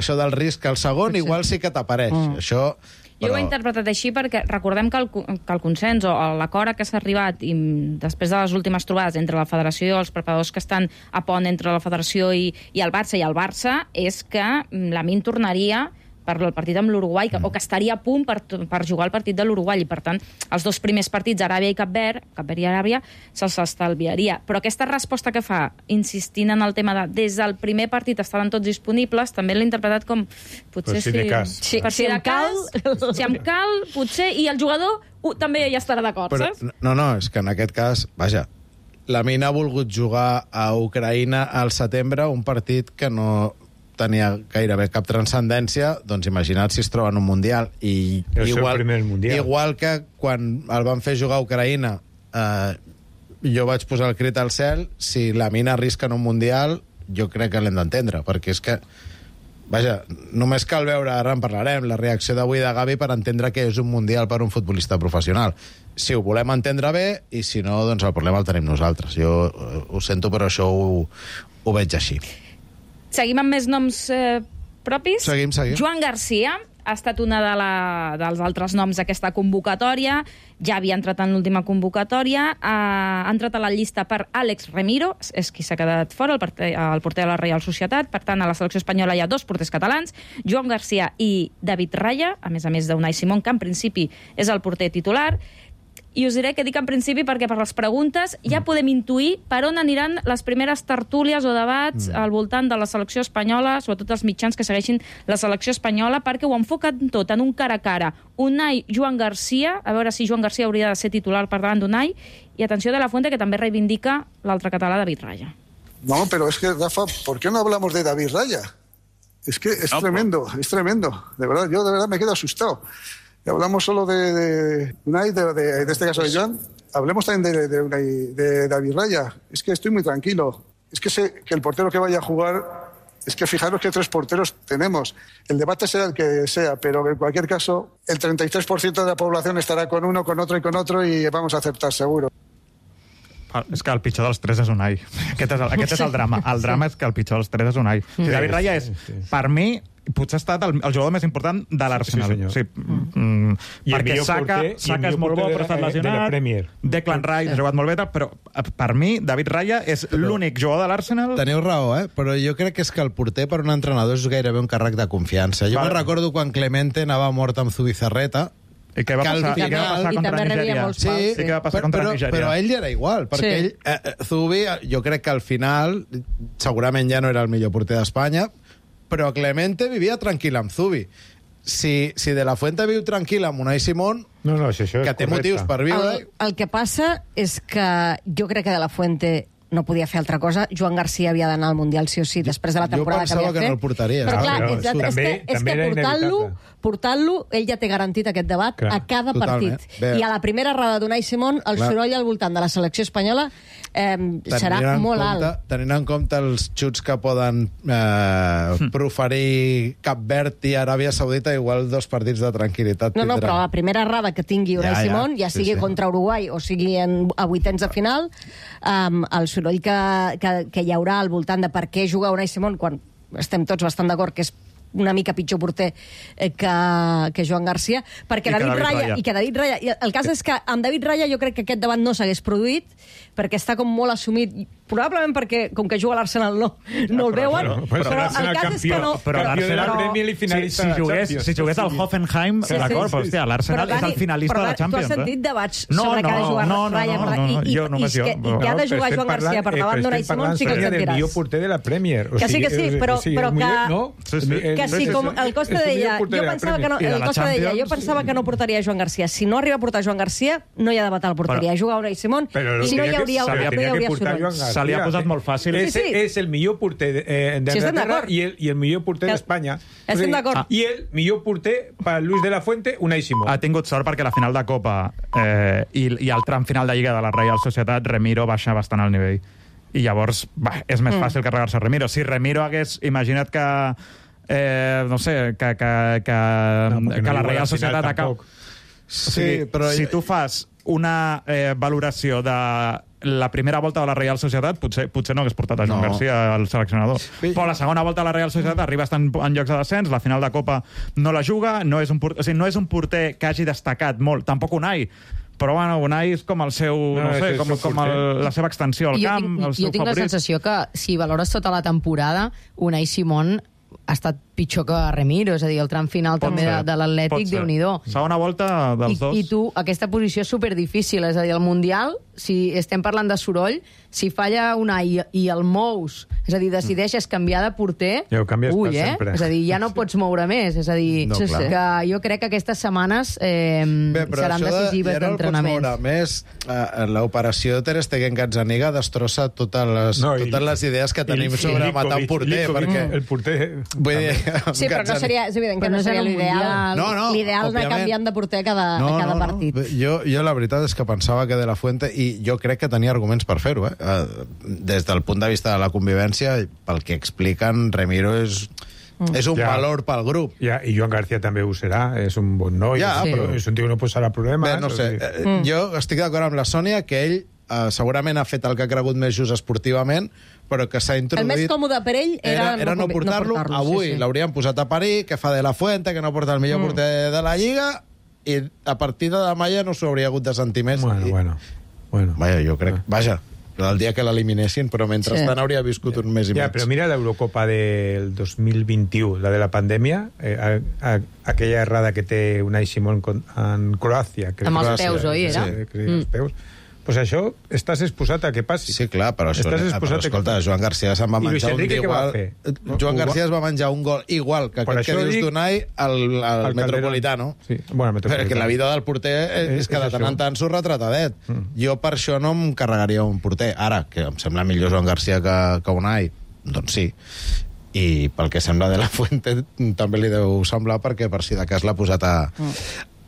Speaker 2: això del risc al segon sí. igual sí que t'apareix. Mm. Això...
Speaker 9: Jo ho he interpretat així perquè recordem que el, que el consens o l'acord a què s'ha arribat i després de les últimes trobades entre la federació i els preparadors que estan a pont entre la federació i, i el Barça i el Barça és que Lamine tornaria per el partit amb l'Uruguai, mm. o que estaria a punt per, per jugar el partit de l'Uruguai, i per tant, els dos primers partits, Aràbia i Cap Verd, Cap Verd i Aràbia, se'ls estalviaria. Però aquesta resposta que fa, insistint en el tema de des del primer partit estaran tots disponibles, també l'he interpretat com... Potser
Speaker 6: si de cas.
Speaker 9: Sí, per si de cas, si em cal, potser, i el jugador uh, també ja estarà d'acord, saps?
Speaker 2: No, no, és que en aquest cas, vaja, Lamine ha volgut jugar a Ucraïna al setembre un partit que no tenia gairebé cap transcendència, doncs imagina't si es troba en un Mundial. I
Speaker 6: el
Speaker 2: igual,
Speaker 6: seu primer Mundial.
Speaker 2: Igual que quan el van fer jugar a Ucraïna, eh, jo vaig posar el crit al cel, si Lamine arrisca en un Mundial, jo crec que l'hem d'entendre, perquè és que, vaja, només cal veure, ara en parlarem, la reacció d'avui de Gavi per entendre que és un Mundial per un futbolista professional. Si ho volem entendre bé, i si no, doncs el problema el tenim nosaltres. Jo eh, ho sento, però això ho, ho veig així.
Speaker 9: Seguim amb més noms eh, propis.
Speaker 2: Seguim, seguim.
Speaker 9: Joan Garcia ha estat una de la, dels altres noms d'aquesta convocatòria. Ja havia entrat en l'última convocatòria. Ha, ha entrat a la llista per Àlex Remiro, és qui s'ha quedat fora, el porter, el porter de la Reial Societat. Per tant, a la selecció espanyola hi ha dos porters catalans, Joan Garcia i David Raya, a més a més d'Unai Simón, que en principi és el porter titular. I us diré que dic en principi perquè per les preguntes ja podem intuir per on aniran les primeres tertúlies o debats mm. al voltant de la selecció espanyola, sobretot els mitjans que segueixin la selecció espanyola, perquè ho enfoquen tot en un cara a cara. Unai, Joan Garcia, a veure si Joan Garcia hauria de ser titular per davant d'Unai, i atenció de la Fuente, que també reivindica l'altre català, David Raya.
Speaker 10: No, pero es que, Rafa, ¿por qué no hablamos de David Raya? Es que es no, tremendo, pues... es tremendo. De verdad, yo de verdad me quedo asustado. Y hablamos solo de, de Unai, de, de, en este caso de Joan, hablemos también de, de, Unai, de David Raya. Es que estoy muy tranquilo. Es que sé que el portero que vaya a jugar, es que fijaros que tres porteros tenemos. El debate será el que sea, pero en cualquier caso, el treinta y tres por ciento de la población estará con uno, con otro y con otro, y vamos a aceptar seguro.
Speaker 5: És que el pitjor dels tres és Unai. Aquest és el, aquest és el drama. El drama és que el pitjor dels tres és Unai. Sí, David Raya és, per mi, potser ha estat el, el jugador més important de l'Arsenal. Sí, sí, mm, perquè Saka, Saka és molt bo, però ha estat lesionat. De Declan Rice ha jugat molt bé, però per mi, David Raya és l'únic jugador de l'Arsenal.
Speaker 2: Teniu raó, eh? Però jo crec que és que el porter per un entrenador és gairebé un càrrec de confiança. Jo me'n recordo quan Clemente anava mort amb Zubizarreta,
Speaker 5: i què va passar,
Speaker 2: final,
Speaker 5: i què va passar contra Nigèria?
Speaker 2: Sí,
Speaker 5: i què va passar contra
Speaker 2: però,
Speaker 5: Nigèria?
Speaker 2: Però a ell era igual, perquè sí. ell, eh, Zubi, jo crec que al final, segurament ja no era el millor porter d'Espanya, però Clemente vivia tranquil amb Zubi. Si, si De La Fuente viu tranquil amb Unai Simón,
Speaker 6: no, no, si això és
Speaker 2: que té
Speaker 6: correcte.
Speaker 2: motius per viure...
Speaker 3: El, el que passa és que jo crec que De La Fuente no podia fer altra cosa. Joan Garcia havia d'anar al Mundial sí o sí després de la temporada que havia fet.
Speaker 2: Jo pensava que no el portaria.
Speaker 3: Però clar,
Speaker 6: Ah, però
Speaker 3: és, és,
Speaker 6: també,
Speaker 3: que, és
Speaker 6: també
Speaker 3: que portant-lo, portant-lo, ell ja té garantit aquest debat clar, a cada
Speaker 2: totalment.
Speaker 3: partit.
Speaker 2: Bé.
Speaker 3: I a la primera roda d'Unai Simón, el clar. soroll al voltant de la selecció espanyola eh, serà molt
Speaker 2: compte,
Speaker 3: alt.
Speaker 2: Tenint en compte els xuts que poden eh, proferir Cap Verd i Aràbia Saudita, igual dos partits de tranquil·litat
Speaker 3: No, no,
Speaker 2: tindran.
Speaker 3: però la primera errada que tingui Unai
Speaker 2: Ja, ja.
Speaker 3: Simón, ja sigui
Speaker 2: Sí, sí.
Speaker 3: contra Uruguai o sigui en, a vuitens de final, um, el soroll que, que, que hi haurà al voltant de per què jugar Unai Simón, quan estem tots bastant d'acord que és una mica pitjor porter eh, que, que Joan Garcia, perquè
Speaker 5: I que
Speaker 3: David,
Speaker 5: David
Speaker 3: Raya,
Speaker 5: Raya.
Speaker 3: i que David Raya... i El cas és que amb David Raya jo crec que aquest debat no s'hagués produït, perquè està com molt assumit, probablement perquè, com que juga a l'Arsenal, no, no el veuen,
Speaker 6: però-
Speaker 3: però,
Speaker 6: però
Speaker 3: el cas és que no...
Speaker 5: però
Speaker 6: campió de la
Speaker 5: l'Arsenal-
Speaker 6: Premier i finalista
Speaker 5: si,
Speaker 6: de
Speaker 5: si,
Speaker 6: la
Speaker 5: jugués,
Speaker 6: Champions.
Speaker 5: si jugués al Hoffenheim,
Speaker 3: Sí, sí,
Speaker 5: d'acord,
Speaker 3: sí,
Speaker 5: però hòstia, l'Arsenal
Speaker 3: Però,
Speaker 5: és el
Speaker 3: Dani,
Speaker 5: finalista
Speaker 3: però,
Speaker 5: de la Champions.
Speaker 3: Tu has sentit
Speaker 5: eh?
Speaker 3: debats
Speaker 5: No,
Speaker 3: sobre que ha de
Speaker 5: no,
Speaker 3: jugar
Speaker 5: no, no,
Speaker 3: Raya,
Speaker 5: no,
Speaker 3: per-
Speaker 5: no,
Speaker 3: i, i,
Speaker 5: jo només
Speaker 3: i,
Speaker 5: jo.
Speaker 3: que, i que ha de jugar Joan Garcia per davant d'Unai Simón, sí que el
Speaker 6: del
Speaker 3: sentiràs.
Speaker 6: millor porter de la Premier. O
Speaker 3: Que sí,
Speaker 6: sigui,
Speaker 3: que sí,
Speaker 6: és-
Speaker 3: però-
Speaker 6: sí,
Speaker 3: però
Speaker 6: el millor-
Speaker 3: que-
Speaker 6: no?
Speaker 5: Sí, sí.
Speaker 6: El-
Speaker 3: Que sí,
Speaker 6: és-
Speaker 3: com
Speaker 6: és-
Speaker 3: el Costa
Speaker 6: és el millor
Speaker 3: deia,
Speaker 6: porter
Speaker 3: jo
Speaker 6: de la
Speaker 3: pensava que no,
Speaker 5: I de
Speaker 3: el
Speaker 5: la
Speaker 3: Costa deia, jo
Speaker 5: Champions,
Speaker 3: pensava que no portaria Joan Garcia. Si no arriba a portar Joan Garcia, no hi ha debat a la porteria.
Speaker 5: Però-
Speaker 3: Juga Unai Simón
Speaker 6: Però
Speaker 3: i no hi
Speaker 6: tenia que-
Speaker 3: hauria,
Speaker 6: se
Speaker 3: no hi
Speaker 6: tenia que
Speaker 3: hauria
Speaker 6: portar
Speaker 3: soroll.
Speaker 6: Joan Garcia.
Speaker 5: Se li ha posat molt fàcil.
Speaker 6: Ese
Speaker 3: Sí, sí.
Speaker 6: és el millor porter de- eh,
Speaker 3: Sí, estem
Speaker 6: d'Anglaterra
Speaker 3: d'acord.
Speaker 6: i, el, i el millor porter
Speaker 3: Que-
Speaker 6: d'Espanya.
Speaker 3: estem d'acord.
Speaker 6: I el millor porter per Luis de la Fuente, Unai Simón.
Speaker 5: Ha tingut sort perquè la final de Copa eh, i, i el tram final de Lliga de la Reial Societat, Remiro baixa bastant el nivell. I llavors, va, és més fàcil carregar-se Remiro. Si Remiro hagués... Imagina't que... Eh, no sé, que, que, que,
Speaker 6: No, perquè
Speaker 5: que
Speaker 6: no
Speaker 5: la
Speaker 6: juga a la
Speaker 5: Reial
Speaker 6: final
Speaker 5: Societat acaba...
Speaker 6: tampoc.
Speaker 5: O sigui,
Speaker 2: Sí, però...
Speaker 5: si tu fas una eh, valoració de la primera volta de la Reial Societat, potser, potser no hagués portat a Joan
Speaker 2: No.
Speaker 5: Garcia al seleccionador.
Speaker 2: Sí.
Speaker 5: Però la segona volta de la Reial Societat arriba a estar en, en llocs de descens, la final de Copa no la juga, no és un porter, o sigui, no és un porter que hagi destacat molt, tampoc Unai, però bueno, Unai és com el seu, no,
Speaker 6: No,
Speaker 5: no
Speaker 6: és
Speaker 5: sé,
Speaker 6: el
Speaker 5: com,
Speaker 6: seu
Speaker 5: com
Speaker 6: porter.
Speaker 5: el, la seva extensió al
Speaker 11: jo
Speaker 5: camp,
Speaker 11: tinc,
Speaker 5: el seu
Speaker 11: jo tinc la
Speaker 5: favorit.
Speaker 11: sensació que si valores tota la temporada, Unai Simón ha estat pitjor que Remiro, és a dir, el tram final
Speaker 5: Pot
Speaker 11: també
Speaker 5: ser,
Speaker 11: de, de
Speaker 5: pot
Speaker 11: l'Atlètic,
Speaker 5: ser.
Speaker 11: Déu-n'hi-do.
Speaker 5: Segona volta
Speaker 11: I,
Speaker 5: dels dos.
Speaker 11: I tu, aquesta posició és superdifícil, és a dir, el Mundial, si estem parlant de soroll, si falla Unai i, i el mous, és a dir, decideixes canviar de porter,
Speaker 6: Ja ho canvies
Speaker 11: ui,
Speaker 6: per
Speaker 11: eh?
Speaker 6: sempre.
Speaker 11: És a dir, ja no pots moure més, és a dir,
Speaker 2: No,
Speaker 11: sí,
Speaker 2: clar.
Speaker 11: sí. que jo crec que aquestes setmanes eh,
Speaker 2: Bé, però
Speaker 11: seran
Speaker 2: això de,
Speaker 11: decisives
Speaker 2: ja no el pots
Speaker 11: d'entrenament.
Speaker 2: moure. A més, eh, l'operació Ter Stegen-Gazzaniga destrossa totes les,
Speaker 6: No, i-
Speaker 2: totes les idees que tenim
Speaker 6: I- i
Speaker 2: sobre
Speaker 6: Likovic,
Speaker 2: matar un porter,
Speaker 6: Likovic,
Speaker 2: perquè...
Speaker 6: El porter...
Speaker 2: Vull dir,
Speaker 3: Sí, però no seria, és evident que
Speaker 11: Però
Speaker 3: no
Speaker 11: no és
Speaker 3: seria
Speaker 11: en un
Speaker 3: l'ideal.
Speaker 11: mundial.
Speaker 2: No, no,
Speaker 3: L'ideal anar
Speaker 2: òbviament.
Speaker 3: canviant de porter a cada, a cada partit.
Speaker 2: Jo, jo la veritat és que pensava que De La Fuente, i jo crec que tenia arguments per fer-ho, eh? Eh, des del punt de vista de la convivència, pel que expliquen, Remiro és, mm. és un
Speaker 6: Ja.
Speaker 2: valor pel grup.
Speaker 6: Ja, i Joan García també ho serà, és un bon noi,
Speaker 2: Ja,
Speaker 6: és,
Speaker 2: però-
Speaker 6: és un tio que no posarà problemes.
Speaker 2: Bé, no sé,
Speaker 6: o sigui,
Speaker 2: eh, jo estic d'acord amb la Sònia que ell eh, segurament ha fet el que ha cregut més just esportivament, però que s'ha
Speaker 3: El
Speaker 2: introduït...
Speaker 3: més còmode per ell era,
Speaker 2: era, era no,
Speaker 3: convi-
Speaker 2: portar-lo.
Speaker 3: portar-lo,
Speaker 2: Avui
Speaker 3: sí, sí.
Speaker 2: l'haurien posat a parir, que fa De La Fuente, que no porta el millor mm. porter de la Lliga, i a partir de demà ja no s'ho hauria hagut de sentir més.
Speaker 6: Bueno,
Speaker 2: I,
Speaker 6: bueno, bueno.
Speaker 2: Vaja, jo crec... Vaja, el dia que l'eliminessin, però mentrestant
Speaker 3: Sí.
Speaker 2: hauria viscut un mes i
Speaker 6: Ja,
Speaker 2: mig.
Speaker 6: però mira l'Eurocopa del dos mil vint-i-u, la de la pandèmia, eh, a, a, aquella errada que té Unai Simón con, en Croàcia. crec
Speaker 11: Amb
Speaker 6: que
Speaker 11: els
Speaker 6: Croàcia,
Speaker 11: peus, oi, era?
Speaker 6: Sí, crec, els peus. Pues això, estàs exposat a que passi.
Speaker 2: Sí, clar, però, això,
Speaker 6: Estàs
Speaker 2: però
Speaker 6: exposat a
Speaker 2: escolta,
Speaker 6: que-
Speaker 2: Joan Garcia se'n va
Speaker 6: I Luis
Speaker 2: menjar un
Speaker 6: Enrique què va
Speaker 2: igual...
Speaker 6: fer?
Speaker 2: Joan
Speaker 6: Ho va-
Speaker 2: Garcia es va menjar un gol igual que
Speaker 6: Per
Speaker 2: aquest que
Speaker 6: això
Speaker 2: dius
Speaker 6: dic-
Speaker 2: d'Unai al, al
Speaker 6: Al
Speaker 2: Metropolitano.
Speaker 6: Sí, bueno, al Metropolitano.
Speaker 2: Perquè la vida del porter és, és que
Speaker 6: És
Speaker 2: de tant
Speaker 6: això.
Speaker 2: en tant s'ho retratadet. Mm. Jo per això no em carregaria un porter. Ara, que em sembla millor Joan Garcia que, que Unai, doncs sí. I pel que sembla De La Fuente també li deu semblar, perquè per si de cas l'ha posat a,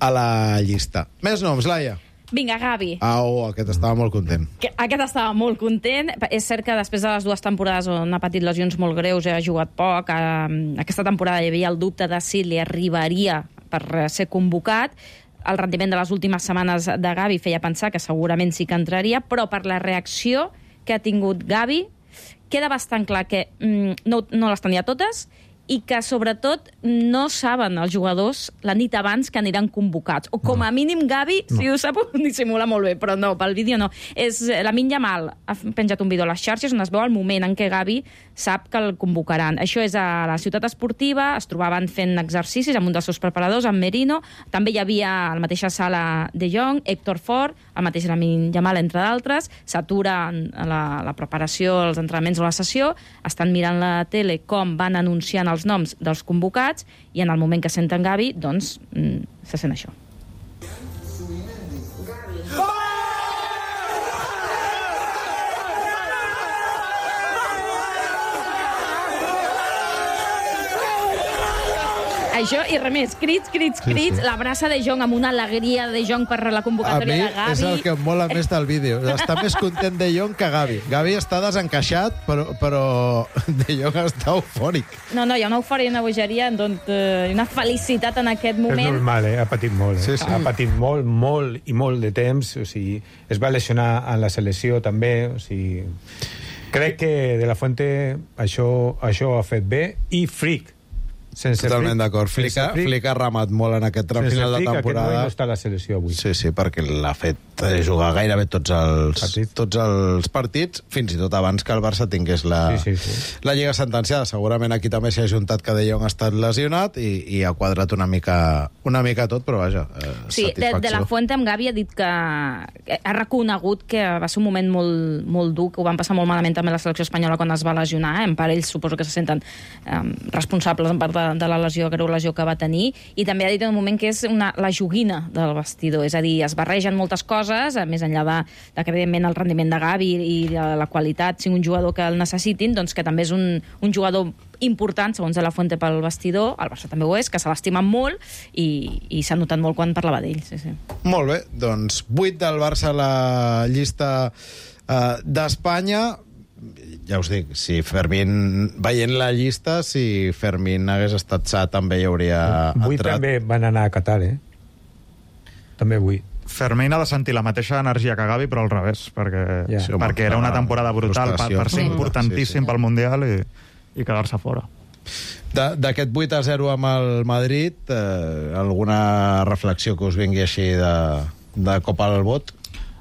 Speaker 2: a la llista. Més noms, Laia.
Speaker 9: Vinga, Gavi.
Speaker 2: Au, aquest estava molt content.
Speaker 9: Que aquest estava molt content. És cert que després de les dues temporades on ha patit lesions molt greus, ha jugat poc, eh, aquesta temporada hi havia el dubte de si li arribaria per eh, ser convocat. El rendiment de les últimes setmanes de Gavi feia pensar que segurament sí que entraria, però per la reacció que ha tingut Gavi, queda bastant clar que mm, no, no les tenia totes i que, sobretot, no saben els jugadors la nit abans que aniran convocats. O, com a mínim, Gavi, no. si ho sap, ho dissimula molt bé, però no, pel vídeo no. És, Lamine Yamal ha penjat un vídeo a les xarxes on es veu el moment en què Gavi sap que el convocaran. Això és a la ciutat esportiva, es trobaven fent exercicis amb un dels seus preparadors, amb Merino, també hi havia a la mateixa sala De Jong, Héctor Ford, el mateix Lamine Yamal, entre d'altres, s'atura la, la preparació, els entrenaments o la sessió, estan mirant la tele com van anunciant els noms dels convocats i en el moment que senten Gavi, doncs, mm, se sent això. Això, i res més, crits, crits, crits, sí, sí. L'abraça De Jong amb una alegria de Jong per la
Speaker 2: A mi
Speaker 9: convocatòria de Gavi.
Speaker 2: és el que em mola més del vídeo. Està més content De Jong que Gavi. Gavi està desencaixat, però, però De Jong està eufòric.
Speaker 9: No, no, hi ha una eufòria i una bogeria, doncs, eh, una felicitat en aquest
Speaker 6: És
Speaker 9: moment.
Speaker 6: normal, eh? Ha patit molt. Eh?
Speaker 2: Sí, sí.
Speaker 6: Ha patit molt, molt i molt de temps. O sigui, es va lesionar en la selecció també. O sigui, crec que De La Fuente això, això ho ha fet bé. I Frick. sense
Speaker 2: Totalment
Speaker 6: Flick-
Speaker 2: d'acord.
Speaker 6: sense
Speaker 2: Flick ha-
Speaker 6: Flick-
Speaker 2: Flick ha ramat molt en aquest tram
Speaker 6: Sense
Speaker 2: final de
Speaker 6: Flick, aquest
Speaker 2: temporada.
Speaker 6: moment no està a la selecció avui.
Speaker 2: Sí, sí, perquè l'ha fet eh, jugar gairebé tots els partits. tots els partits, fins i tot abans que el Barça tingués la,
Speaker 6: Sí, sí, sí.
Speaker 2: la Lliga sentenciada. Segurament aquí també s'hi ha juntat que De Jong ha estat lesionat i, i ha quadrat una mica, una mica tot, però vaja, eh,
Speaker 9: Sí, de,
Speaker 2: satisfacció.
Speaker 9: de la Fuente amb Gavi ha dit que ha reconegut que va ser un moment molt, molt dur, que ho van passar molt malament també la selecció espanyola quan es va lesionar, en part ells suposo que se senten eh, responsables en part de, de la lesió, greu lesió que va tenir, i també ha dit en un moment que és una, la joguina del vestidor, és a dir, es barregen moltes coses, més enllà de, de que evidentment el rendiment de Gavi i de la qualitat sigui un jugador que el necessitin, doncs que també és un, un jugador important, segons de la Fuente, pel vestidor, el Barça també ho és, que se l'estimen molt i, i s'ha notat molt quan parlava d'ell. Sí, sí.
Speaker 2: Molt bé, doncs vuit del Barça a la llista eh, d'Espanya. Ja us dic, si Fermín, veient la llista, si Fermín hagués estat sa, també hi hauria
Speaker 6: Avui
Speaker 2: entrat.
Speaker 6: també van anar a Qatar, eh? També avui.
Speaker 5: Fermín ha de sentir la mateixa energia que Gavi, però al revés, perquè,
Speaker 6: Ja.
Speaker 5: sí, perquè era una temporada brutal per, per ser
Speaker 2: Frustració.
Speaker 5: importantíssim
Speaker 2: Sí, sí.
Speaker 5: pel Mundial i, i quedar-se fora.
Speaker 2: De- D'aquest vuit a zero amb el Madrid, eh, alguna reflexió que us vingui així de, de cop al bot?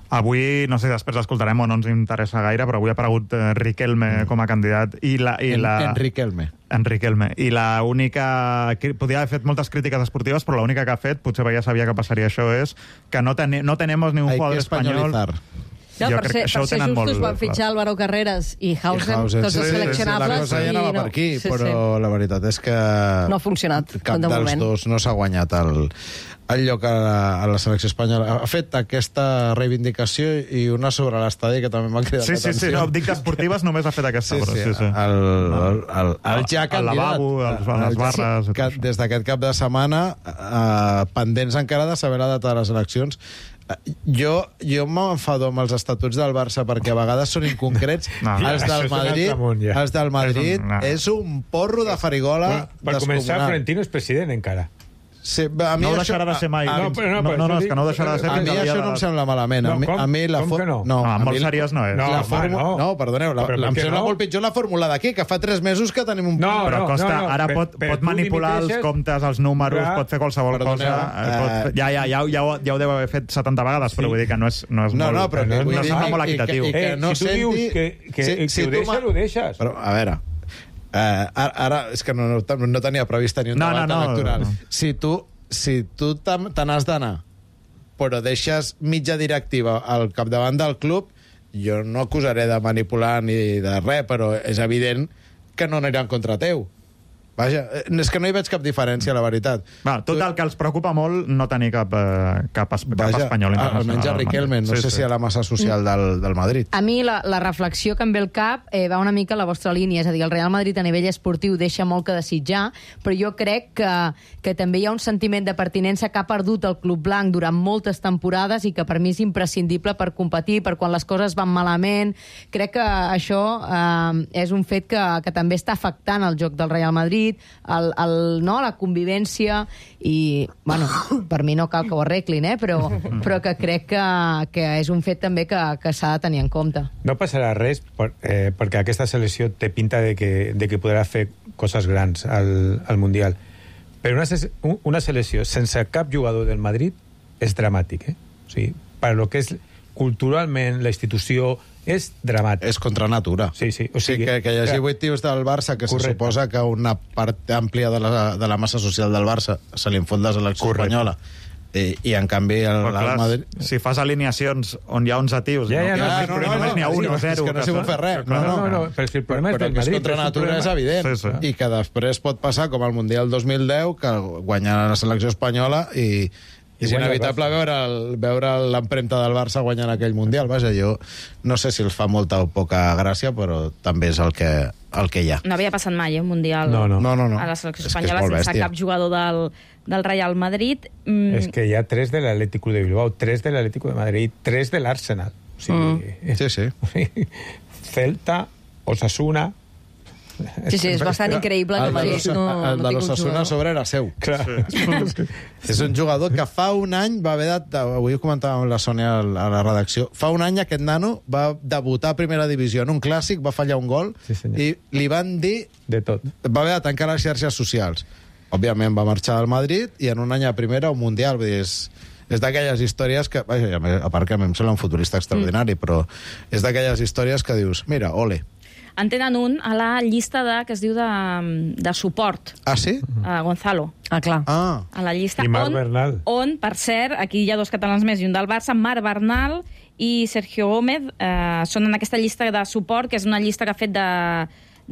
Speaker 5: Avui, no sé, després l'escoltarem o no ens interessa gaire, però avui ha aparegut eh, Riquelme com a candidat i la... I
Speaker 2: En,
Speaker 5: la...
Speaker 2: Enric Elme.
Speaker 5: Enriquelme. I la única... Podria haver fet moltes crítiques esportives, però l'única que ha fet, potser ja sabia que passaria això, és que no, ten no tenemos ni un
Speaker 2: Hay
Speaker 5: jugador
Speaker 2: que
Speaker 5: espanyol...
Speaker 2: españolizar.
Speaker 3: No,
Speaker 5: Jo
Speaker 3: per
Speaker 5: crec
Speaker 3: ser,
Speaker 5: que això
Speaker 3: per
Speaker 5: ho
Speaker 3: ser
Speaker 5: tenen
Speaker 3: justos
Speaker 5: molt
Speaker 3: van fitxar Álvaro Carreras i Hausen,
Speaker 2: Hausen,
Speaker 3: tots els
Speaker 2: sí,
Speaker 3: seleccionables.
Speaker 2: La cosa ja
Speaker 3: i
Speaker 2: anava
Speaker 3: no.
Speaker 2: per aquí,
Speaker 3: Sí,
Speaker 2: però
Speaker 3: sí.
Speaker 2: la veritat és que
Speaker 3: No ha funcionat,
Speaker 2: cap
Speaker 3: de
Speaker 2: dels
Speaker 3: moment.
Speaker 2: dos no s'ha guanyat el, el lloc a la, a la selecció espanyola. Ha fet aquesta reivindicació i una sobre l'estadi que també m'ha cridat
Speaker 5: Sí, sí, sí,
Speaker 2: l'atenció.
Speaker 5: no, dic d'esportives només ha fet aquesta,
Speaker 2: Sí,
Speaker 5: però
Speaker 2: sí,
Speaker 5: sí, sí.
Speaker 2: El, el, el, el ja
Speaker 5: El
Speaker 2: candidat.
Speaker 5: lavabo, els- les
Speaker 2: El ja-
Speaker 5: barres i tot
Speaker 2: que
Speaker 5: això.
Speaker 2: des d'aquest cap de setmana, eh, pendents encara de saber la data de les eleccions. Eh, Jo, jo m'enfado amb els estatuts del Barça perquè a vegades són inconcrets.
Speaker 5: No,
Speaker 2: els
Speaker 6: això
Speaker 2: del
Speaker 6: és un altre
Speaker 2: Madrid,
Speaker 6: món, ja.
Speaker 2: els del Madrid
Speaker 5: És un- no.
Speaker 2: és un porro de farigola
Speaker 6: Bueno, per començar,
Speaker 2: descomunal.
Speaker 6: Florentino és president encara.
Speaker 2: Sí, a mi
Speaker 5: No ho
Speaker 2: això-
Speaker 5: deixarà de ser mai.
Speaker 2: A,
Speaker 6: No,
Speaker 2: a,
Speaker 6: però no,
Speaker 5: no,
Speaker 6: però
Speaker 5: no,
Speaker 6: això
Speaker 5: no, és
Speaker 6: dic-
Speaker 5: que no ho deixarà de ser
Speaker 2: a
Speaker 5: fins
Speaker 2: mi
Speaker 5: al dia
Speaker 2: això
Speaker 5: de
Speaker 2: no em
Speaker 5: la-
Speaker 2: sembla malament. A
Speaker 6: No,
Speaker 2: mi,
Speaker 6: com-
Speaker 2: a mi la
Speaker 6: com
Speaker 2: for-
Speaker 6: que no?
Speaker 5: No,
Speaker 2: a
Speaker 5: molt
Speaker 2: mi-
Speaker 5: seriós no és.
Speaker 6: No,
Speaker 2: la
Speaker 6: home,
Speaker 2: fórmula...
Speaker 6: no.
Speaker 2: no, perdoneu, la,
Speaker 6: Però
Speaker 2: la,
Speaker 6: per
Speaker 2: em
Speaker 6: què
Speaker 2: sembla
Speaker 6: no?
Speaker 2: molt pitjor la fórmula d'aquí, que fa tres mesos que tenim un...
Speaker 6: No,
Speaker 5: Però Costa,
Speaker 6: no, no,
Speaker 5: ara
Speaker 6: però-
Speaker 5: pot,
Speaker 6: però
Speaker 5: pot
Speaker 6: tu
Speaker 5: manipular els
Speaker 6: dimiteixes-
Speaker 5: comptes, els números,
Speaker 6: Clar.
Speaker 5: pot fer qualsevol
Speaker 2: Perdoneu,
Speaker 5: cosa. eh,
Speaker 2: eh,
Speaker 5: pot, ja, ja, ja, ja, ho, ja ho deu haver fet setanta vegades,
Speaker 6: Sí.
Speaker 5: però vull dir que no és, no és
Speaker 2: No,
Speaker 5: molt,
Speaker 2: no, però que
Speaker 5: no,
Speaker 2: vull
Speaker 5: no
Speaker 2: dir
Speaker 5: sembla
Speaker 2: que-
Speaker 5: molt
Speaker 2: i que-
Speaker 5: equitatiu.
Speaker 2: i que
Speaker 6: Eh,
Speaker 2: no
Speaker 6: si tu
Speaker 2: senti-
Speaker 6: dius que, que,
Speaker 2: si-
Speaker 6: que
Speaker 2: si
Speaker 6: ho
Speaker 2: tu
Speaker 6: deixes,
Speaker 2: ma-
Speaker 6: ho deixes.
Speaker 2: Però, a veure, eh, ara, ara és que no, no, no tenia previst tenir un
Speaker 5: No,
Speaker 2: debat
Speaker 5: no, no,
Speaker 2: electoral.
Speaker 5: no.
Speaker 2: Si tu, si tu te te n'has d'anar, però deixes mitja directiva al capdavant del club, jo no acusaré de manipular ni de res, però és evident que no aniran contra teu. Vaja, eh, és que no hi veig cap diferència, la veritat.
Speaker 5: Va, tot el que els preocupa molt no tenir cap, eh, cap, es, cap
Speaker 2: Vaja,
Speaker 5: espanyol internacional.
Speaker 2: almenys a
Speaker 5: al
Speaker 2: Riquelme, no
Speaker 5: Madrid.
Speaker 2: sé si a la massa social del, del Madrid.
Speaker 11: A mi la, la reflexió que em ve al cap eh, va una mica a la vostra línia, és a dir, el Real Madrid a nivell esportiu deixa molt que desitjar, però jo crec que, que també hi ha un sentiment de pertinença que ha perdut el Club Blanc durant moltes temporades i que per mi és imprescindible per competir, per quan les coses van malament. Crec que això eh, és un fet que, que també està afectant el joc del Real Madrid, el, el, no, la convivència, i, bueno, per mi no cal que ho arreglin, eh, però, però que crec que, que és un fet també que, que s'ha de tenir en compte.
Speaker 6: No passarà res per, eh, perquè aquesta selecció té pinta de que, de que podrà fer coses grans al, al Mundial. Però una, ses- un- una selecció sense cap jugador del Madrid és dramàtic, eh? O sigui, per lo que és culturalment la institució és dramàtic.
Speaker 2: És contra natura.
Speaker 6: Sí, sí.
Speaker 2: O sigui, que, que hi hagi vuit tios del Barça que
Speaker 6: Correcte.
Speaker 2: se suposa que una part àmplia de la, de la massa social del Barça se li infon de la selecció
Speaker 6: Correcte.
Speaker 2: espanyola. I, I en canvi el,
Speaker 5: Però,
Speaker 2: el
Speaker 5: clar,
Speaker 2: Madrid...
Speaker 5: si fas alineacions on hi ha onze tios,
Speaker 6: Ja, ja,
Speaker 5: no,
Speaker 6: no,
Speaker 5: no,
Speaker 6: sí,
Speaker 5: no,
Speaker 6: però
Speaker 5: només n'hi ha
Speaker 6: no,
Speaker 5: un
Speaker 6: sí,
Speaker 5: o zero.
Speaker 2: és que no s'hi pot fer res.
Speaker 6: No, no, no, però si el problema és
Speaker 2: però
Speaker 6: del
Speaker 2: que és
Speaker 6: Madrid,
Speaker 2: contra
Speaker 6: és un
Speaker 2: natura, és
Speaker 6: problema-
Speaker 2: evident.
Speaker 5: Sí, sí.
Speaker 2: I que després pot passar, com al Mundial dos mil deu, que guanya la selecció espanyola i... És
Speaker 6: guanya el
Speaker 2: inevitable
Speaker 6: Barça.
Speaker 2: veure el- veure l'empremta del Barça guanyant aquell Mundial. Vaja, jo no sé si els fa molta o poca gràcia, però també és el que, el que hi ha.
Speaker 9: No havia passat mai, eh, un Mundial
Speaker 6: No, no.
Speaker 2: No, no, no.
Speaker 9: a la selecció
Speaker 2: És que és
Speaker 9: espanyola
Speaker 2: molt
Speaker 9: sense
Speaker 2: bèstia.
Speaker 9: cap jugador del, del Real Madrid. Mm,
Speaker 6: És que hi ha tres de l'Atlético de Bilbao, tres de l'Atlético de Madrid, tres de l'Arsenal. O sigui,
Speaker 2: Sí, sí.
Speaker 6: Celta, Osasuna...
Speaker 3: Sí, sí, és bastant increïble que
Speaker 2: El
Speaker 3: el
Speaker 2: de
Speaker 3: Madrid
Speaker 2: l'Osa-
Speaker 3: no,
Speaker 2: el
Speaker 3: no
Speaker 2: de
Speaker 3: tingui un
Speaker 2: l'Osasuna
Speaker 3: jugador.
Speaker 2: sobre era seu.
Speaker 6: Clar.
Speaker 2: És un jugador que fa un any va haver de... Avui ho comentàvem amb la Sònia a la redacció. Fa un any aquest nano va debutar a primera divisió en un clàssic, va fallar un gol
Speaker 6: Sí, senyor.
Speaker 2: i li van dir...
Speaker 6: De tot.
Speaker 2: Va haver de tancar les xarxes socials. òbviament va marxar del Madrid i en un any a primera un Mundial, vull dir, és... És d'aquelles històries que... Vaja, a part que a mi em sembla un futurista extraordinari, mm. però és d'aquelles històries que dius, mira, ole.
Speaker 9: En tenen un a la llista de, que es diu de, de suport.
Speaker 2: Ah, sí?
Speaker 9: A Gonzalo.
Speaker 3: Ah, clar.
Speaker 2: Ah.
Speaker 9: A la llista.
Speaker 6: I Marc
Speaker 9: on,
Speaker 6: Bernal.
Speaker 9: On, per cert, aquí hi ha dos catalans més i un del Barça, Marc Bernal i Sergio Gómez, eh, són en aquesta llista de suport, que és una llista que ha fet de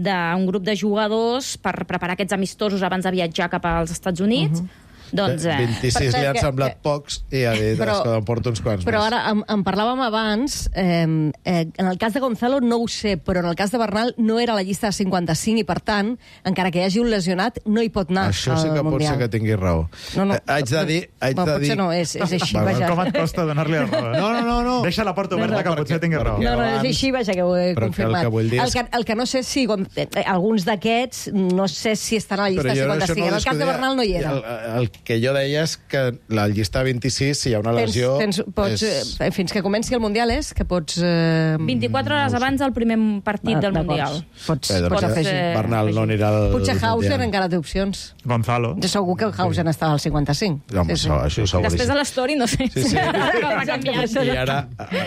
Speaker 9: d'un grup de jugadors per preparar aquests amistosos abans de viatjar cap als Estats Units. Uh-huh. Doncs, eh,
Speaker 2: vint-i-sis li han semblat que, pocs i ha dit però, que em porto uns quants
Speaker 3: però
Speaker 2: més.
Speaker 3: Però ara, en, en parlàvem abans, eh, eh, en el cas de Gonzalo no ho sé, però en el cas de Bernal no era a la llista de cinquanta-cinc i, per tant, encara que hi hagi un lesionat, no hi pot anar
Speaker 2: Això
Speaker 3: al
Speaker 2: sí que
Speaker 3: Mundial.
Speaker 2: pot ser que tingui raó.
Speaker 3: No, no,
Speaker 2: eh, haig de dir... Haig
Speaker 3: no,
Speaker 2: de
Speaker 3: potser
Speaker 2: dir...
Speaker 3: no, és, és així,
Speaker 2: va,
Speaker 3: vaja.
Speaker 5: Com et costa donar-li la raó?
Speaker 2: No, no, no, no.
Speaker 5: Deixa la porta oberta,
Speaker 3: No, no,
Speaker 5: que potser tingui raó.
Speaker 3: No, no, és així, vaja, que ho he
Speaker 2: Però que el
Speaker 3: confirmat.
Speaker 2: que vull dir és-
Speaker 3: el, que, el que no sé si eh, alguns d'aquests, no sé si estan a la llista
Speaker 2: Però
Speaker 3: de
Speaker 2: jo això
Speaker 3: cinquanta-cinc.
Speaker 2: no
Speaker 3: En el cas de
Speaker 2: discutia.
Speaker 3: Bernal no hi era.
Speaker 2: El, el que jo deia és que la llista vint-i-sis, si hi ha una lesió...
Speaker 3: Tens, tens, pots,
Speaker 2: és...
Speaker 3: eh, fins que comenci el Mundial és que pots... Eh,
Speaker 9: vint-i-quatre hores abans del primer partit
Speaker 3: Ah,
Speaker 9: del
Speaker 3: d'acord.
Speaker 9: Mundial.
Speaker 3: Pots,
Speaker 2: Bé, doncs
Speaker 3: pots
Speaker 2: ja,
Speaker 3: afegir.
Speaker 2: Bernal no anirà al...
Speaker 3: Potser Hauser
Speaker 2: Mundial.
Speaker 3: encara té opcions.
Speaker 5: Gonzalo.
Speaker 3: Jo segur que Hauser estava al cinquanta-cinc.
Speaker 2: Home, això, això seguríssim.
Speaker 9: Després de l'story, no sé.
Speaker 2: Sí, sí.
Speaker 9: Com ha canviat.
Speaker 2: I ara,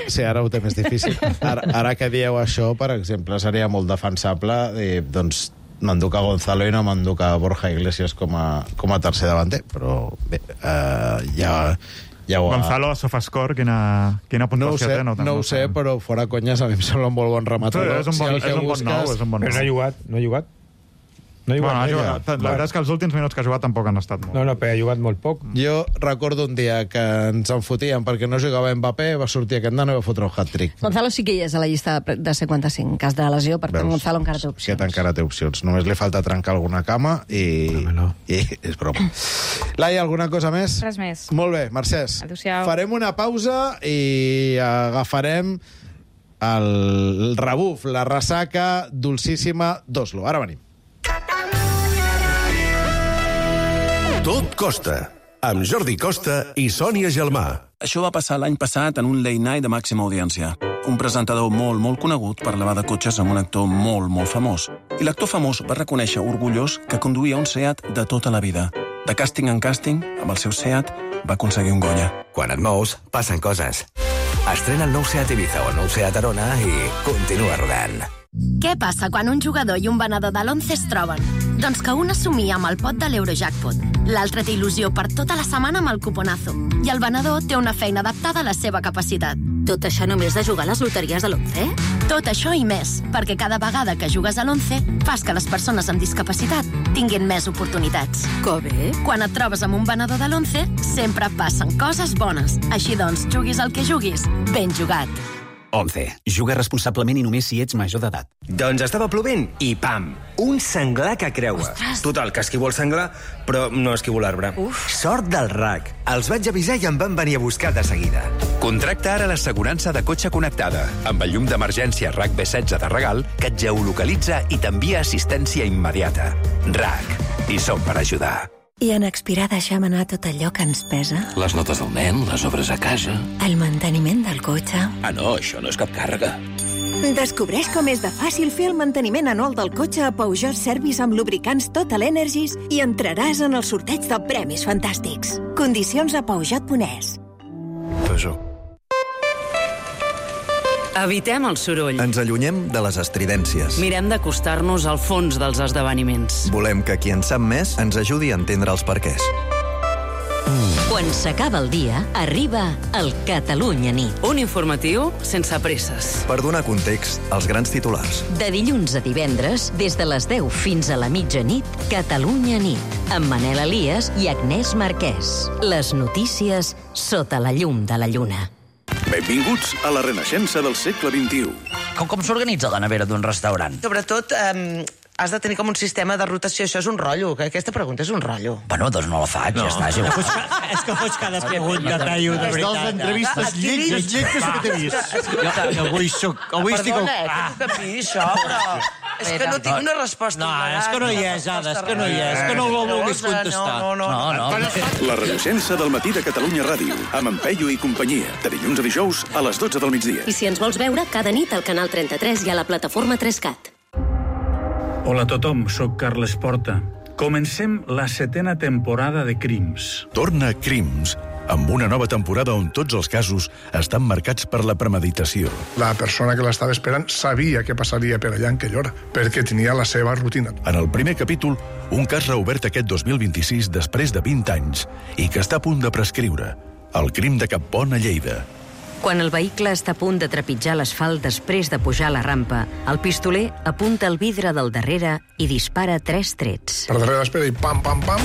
Speaker 2: sí, ara ho té més difícil. Ara, ara que dieu això, per exemple, seria molt defensable dir, doncs, m'enduc a Gonzalo i no m'enduc a Borja Iglesias com a, com a tercer davanter, però bé, eh, ja... Ja ho ha...
Speaker 5: Gonzalo a Sofascore, quina, quina
Speaker 2: No ho
Speaker 5: puntuació
Speaker 2: sé,
Speaker 5: té? No,
Speaker 2: no ho sé, però fora conyes, a mi em sembla un molt bon rematador.
Speaker 5: Sí, és un bon,
Speaker 2: Si el que
Speaker 5: és un bon
Speaker 2: busques-
Speaker 5: nou, és un bon
Speaker 6: Però no ha
Speaker 5: nou.
Speaker 6: jugat, no ha jugat. No ha jugat,
Speaker 5: Bueno, ha
Speaker 6: no ha
Speaker 5: jugat.
Speaker 6: jugat.
Speaker 5: La veritat és que els últims minuts que ha jugat tampoc han estat molt.
Speaker 6: No, no, però ha jugat molt poc.
Speaker 2: Jo recordo un dia que ens en fotíem perquè no jugava Mbappé, va sortir aquest nano i va fotre un hat-trick.
Speaker 3: Gonzalo sí que hi és a la llista de de cinquanta-cinc, en cas de lesió, per tant
Speaker 2: Veus?
Speaker 3: Gonzalo encara té opcions.
Speaker 2: Aquest encara té opcions. Només li falta trencar alguna cama i...
Speaker 6: Home, no.
Speaker 2: I és broma. Laia, alguna cosa més?
Speaker 9: Res més.
Speaker 2: Molt bé, Mercès.
Speaker 9: Adéu-siau.
Speaker 2: Farem una pausa i agafarem el rebuf, la ressaca dolcíssima d'Oslo. Ara venim.
Speaker 1: Tot costa, amb Jordi Costa i Sònia Gelmà.
Speaker 12: Això va passar l'any passat en un late night de màxima audiència. Un presentador molt, molt conegut parlava de cotxes amb un actor molt, molt famós. I l'actor famós va reconèixer orgullós que conduïa un Seat de tota la vida. De càsting en càsting, amb el seu Seat, va aconseguir un Goya.
Speaker 13: Quan et mous, passen coses. Estrena el nou Seat Ibiza o el nou Seat Arona i continua rodant.
Speaker 14: Què passa quan un jugador i un venedor de l'Once es troben? Doncs que un assumia amb el pot de l'Eurojackpot, l'altre té il·lusió per tota la setmana amb el cuponazo, i el venedor té una feina adaptada a la seva capacitat.
Speaker 15: Tot això només de jugar a les loteries de l'Once?
Speaker 14: Tot això i més, perquè cada vegada que jugues a l'Once fas que les persones amb discapacitat tinguin més oportunitats.
Speaker 15: Que bé!
Speaker 14: Quan et trobes amb un venedor de l'Once, sempre passen coses bones. Així doncs, juguis el que juguis, ben jugat.
Speaker 13: Once. Juga responsablement i només si ets major d'edat.
Speaker 16: Doncs estava plovent i pam! Un senglar que creua.
Speaker 15: Ostres!
Speaker 16: Total, que esquivo el senglar, però no esquivo l'arbre. Sort del R A C. Els vaig avisar i em van venir a buscar de seguida.
Speaker 17: Contracta ara l'assegurança de cotxe connectada, amb el llum d'emergència R A C B setze de regal, que et geolocalitza i t'envia assistència immediata. R A C. I som per ajudar.
Speaker 15: I en expirar deixem anar tot allò que ens pesa?
Speaker 18: Les notes del nen, les obres a casa...
Speaker 15: El manteniment del cotxe...
Speaker 18: Ah, no, això no és cap càrrega.
Speaker 15: Descobreix com és de fàcil fer el manteniment anual del cotxe a Peugeot Service amb lubricants Total Energies i entraràs en el sorteig de premis fantàstics. Condicions a Peugeot punt es.
Speaker 16: Peugeot.
Speaker 19: Evitem el soroll.
Speaker 20: Ens allunyem de les estridències.
Speaker 19: Mirem d'acostar-nos al fons dels esdeveniments.
Speaker 20: Volem que qui en sap més ens ajudi a entendre els perquès.
Speaker 21: Quan s'acaba el dia, arriba el Catalunya Nit.
Speaker 19: Un informatiu sense presses.
Speaker 20: Per donar context als grans titulars.
Speaker 21: De dilluns a divendres, des de les deu fins a la mitjanit, Catalunya Nit, amb Manel Elias i Agnès Marquès. Les notícies sota la llum de la lluna.
Speaker 1: Benvinguts a la renaixença del segle vint-i-u.
Speaker 22: Com, com s'organitza la nevera d'un restaurant?
Speaker 23: Sobretot, eh, has de tenir com un sistema de rotació. Això és un rotllo, que aquesta pregunta és un rotllo.
Speaker 22: Bueno, doncs no la faig, no. Ja està. Ja
Speaker 24: és, que, és que fots cada pregunta, Taio, de veritat. És dels entrevistes lletges, lletges que t'he vist. Jo avui soc... Avui estic...
Speaker 23: Perdona, eh, que tu capis, això, però... És que no tinc una resposta.
Speaker 24: No, és que no hi és, Ada, és que no hi és. És que no ho vulguis contestar.
Speaker 23: No, no, no.
Speaker 22: no, no.
Speaker 1: La renaixença del matí de Catalunya Ràdio, amb en Peyu i companyia, de dilluns a dijous a les dotze del migdia.
Speaker 15: I si ens vols veure, cada nit al canal trenta-tres i a la plataforma tres cat.
Speaker 25: Hola a tothom, sóc Carles Porta.
Speaker 4: Comencem la setena temporada de Crims.
Speaker 1: Torna Crims, amb una nova temporada on tots els casos estan marcats per la premeditació.
Speaker 7: La persona que l'estava esperant sabia què passaria per allà en aquella hora, perquè tenia la seva rutina.
Speaker 1: En el primer capítol, un cas reobert aquest dos mil vint-i-sis després de vint anys i que està a punt de prescriure. El crim de Cappont a Lleida.
Speaker 21: Quan el vehicle està a punt de trepitjar l'asfalt després de pujar la rampa, el pistoler apunta el vidre del darrere i dispara tres trets.
Speaker 7: Per darrere l'espera i pam, pam, pam.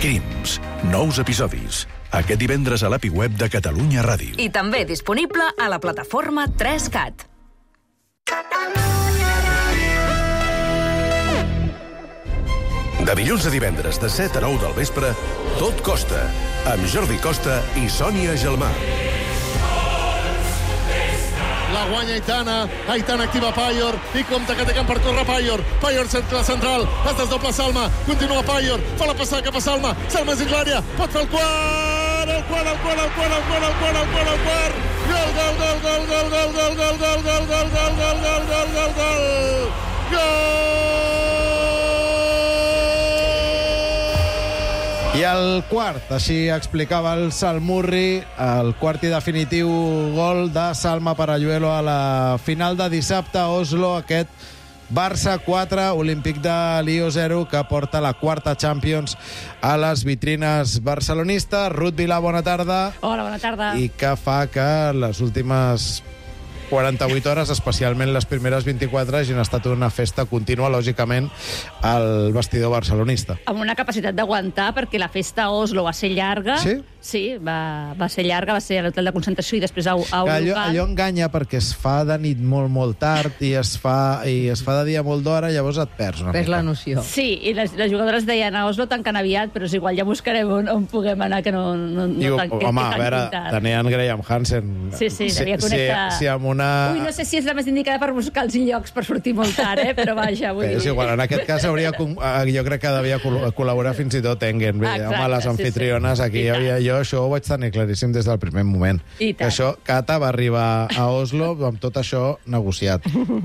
Speaker 1: Crims. Nous episodis. Aquest divendres a l'A P I web de Catalunya Ràdio.
Speaker 8: I també disponible a la plataforma tres cat.
Speaker 1: De dilluns a divendres, de set a nou del vespre, Tot Costa, amb Jordi Costa i Sònia Gelmà.
Speaker 10: La guanya Aitana, Aitana activa Payor, i compta que té camp per córrer Payor. Payor cercle central, es desdobla Salma, continua Payor, fa la passada cap a Salma, Salma és dins l'àrea, pot fer el quart, el quart, el quart, el quart, el quart, el quart, el quart, el quart, gol, gol, gol, gol, gol, gol, gol, gol, gol, gol, gol, gol, gol, gol, gol, gol, gol, gol!
Speaker 2: I el quart, així explicava el Salmurri, el quart i definitiu gol de Salma Paralluelo a la final de dissabte a Oslo, aquest Barça quatre, Olímpic de Lió zero, que porta la quarta Champions a les vitrines barcelonistes. Ruth Vilà, bona tarda.
Speaker 3: Hola, bona tarda.
Speaker 2: I que fa que les últimes quaranta-vuit hores, especialment les primeres vint-i-quatre, hagin estat una festa contínua, lògicament, al vestidor barcelonista.
Speaker 3: Amb una capacitat d'aguantar, perquè la festa a Oslo va ser llarga.
Speaker 2: Sí?
Speaker 3: Sí, va, va ser llarga, va ser a l'hotel de concentració i després a, a un
Speaker 2: allò,
Speaker 3: local.
Speaker 2: allò enganya perquè es fa de nit molt, molt tard i es fa, i es fa de dia molt d'hora, llavors et perds una
Speaker 11: Perds
Speaker 2: mica.
Speaker 11: la noció.
Speaker 3: Sí, i les, les jugadores deien a Oslo tanquen aviat, però és igual, ja buscarem on, on puguem anar, que no, no, no
Speaker 2: Diu,
Speaker 3: tan,
Speaker 2: home,
Speaker 3: que,
Speaker 2: a
Speaker 3: que
Speaker 2: veure,
Speaker 3: tan
Speaker 2: tenien Graham Hansen.
Speaker 3: Sí, sí, devia connectar.
Speaker 2: Si, si amb una...
Speaker 3: Ui, no sé si és la més indicada per buscar els llocs per sortir molt tard, eh? Però vaja, vull
Speaker 2: Bé, és
Speaker 3: dir...
Speaker 2: igual, en aquest cas hauria, jo crec que devia col- col·laborar fins i tot Engen. Bé,
Speaker 3: Exacte,
Speaker 2: home, les
Speaker 3: sí,
Speaker 2: anfitriones,
Speaker 3: sí.
Speaker 2: aquí
Speaker 3: I
Speaker 2: havia, jo això ho vaig tenir claríssim des del primer moment.
Speaker 3: I
Speaker 2: Que
Speaker 3: tant.
Speaker 2: això, Cata va arribar a Oslo amb tot això negociat.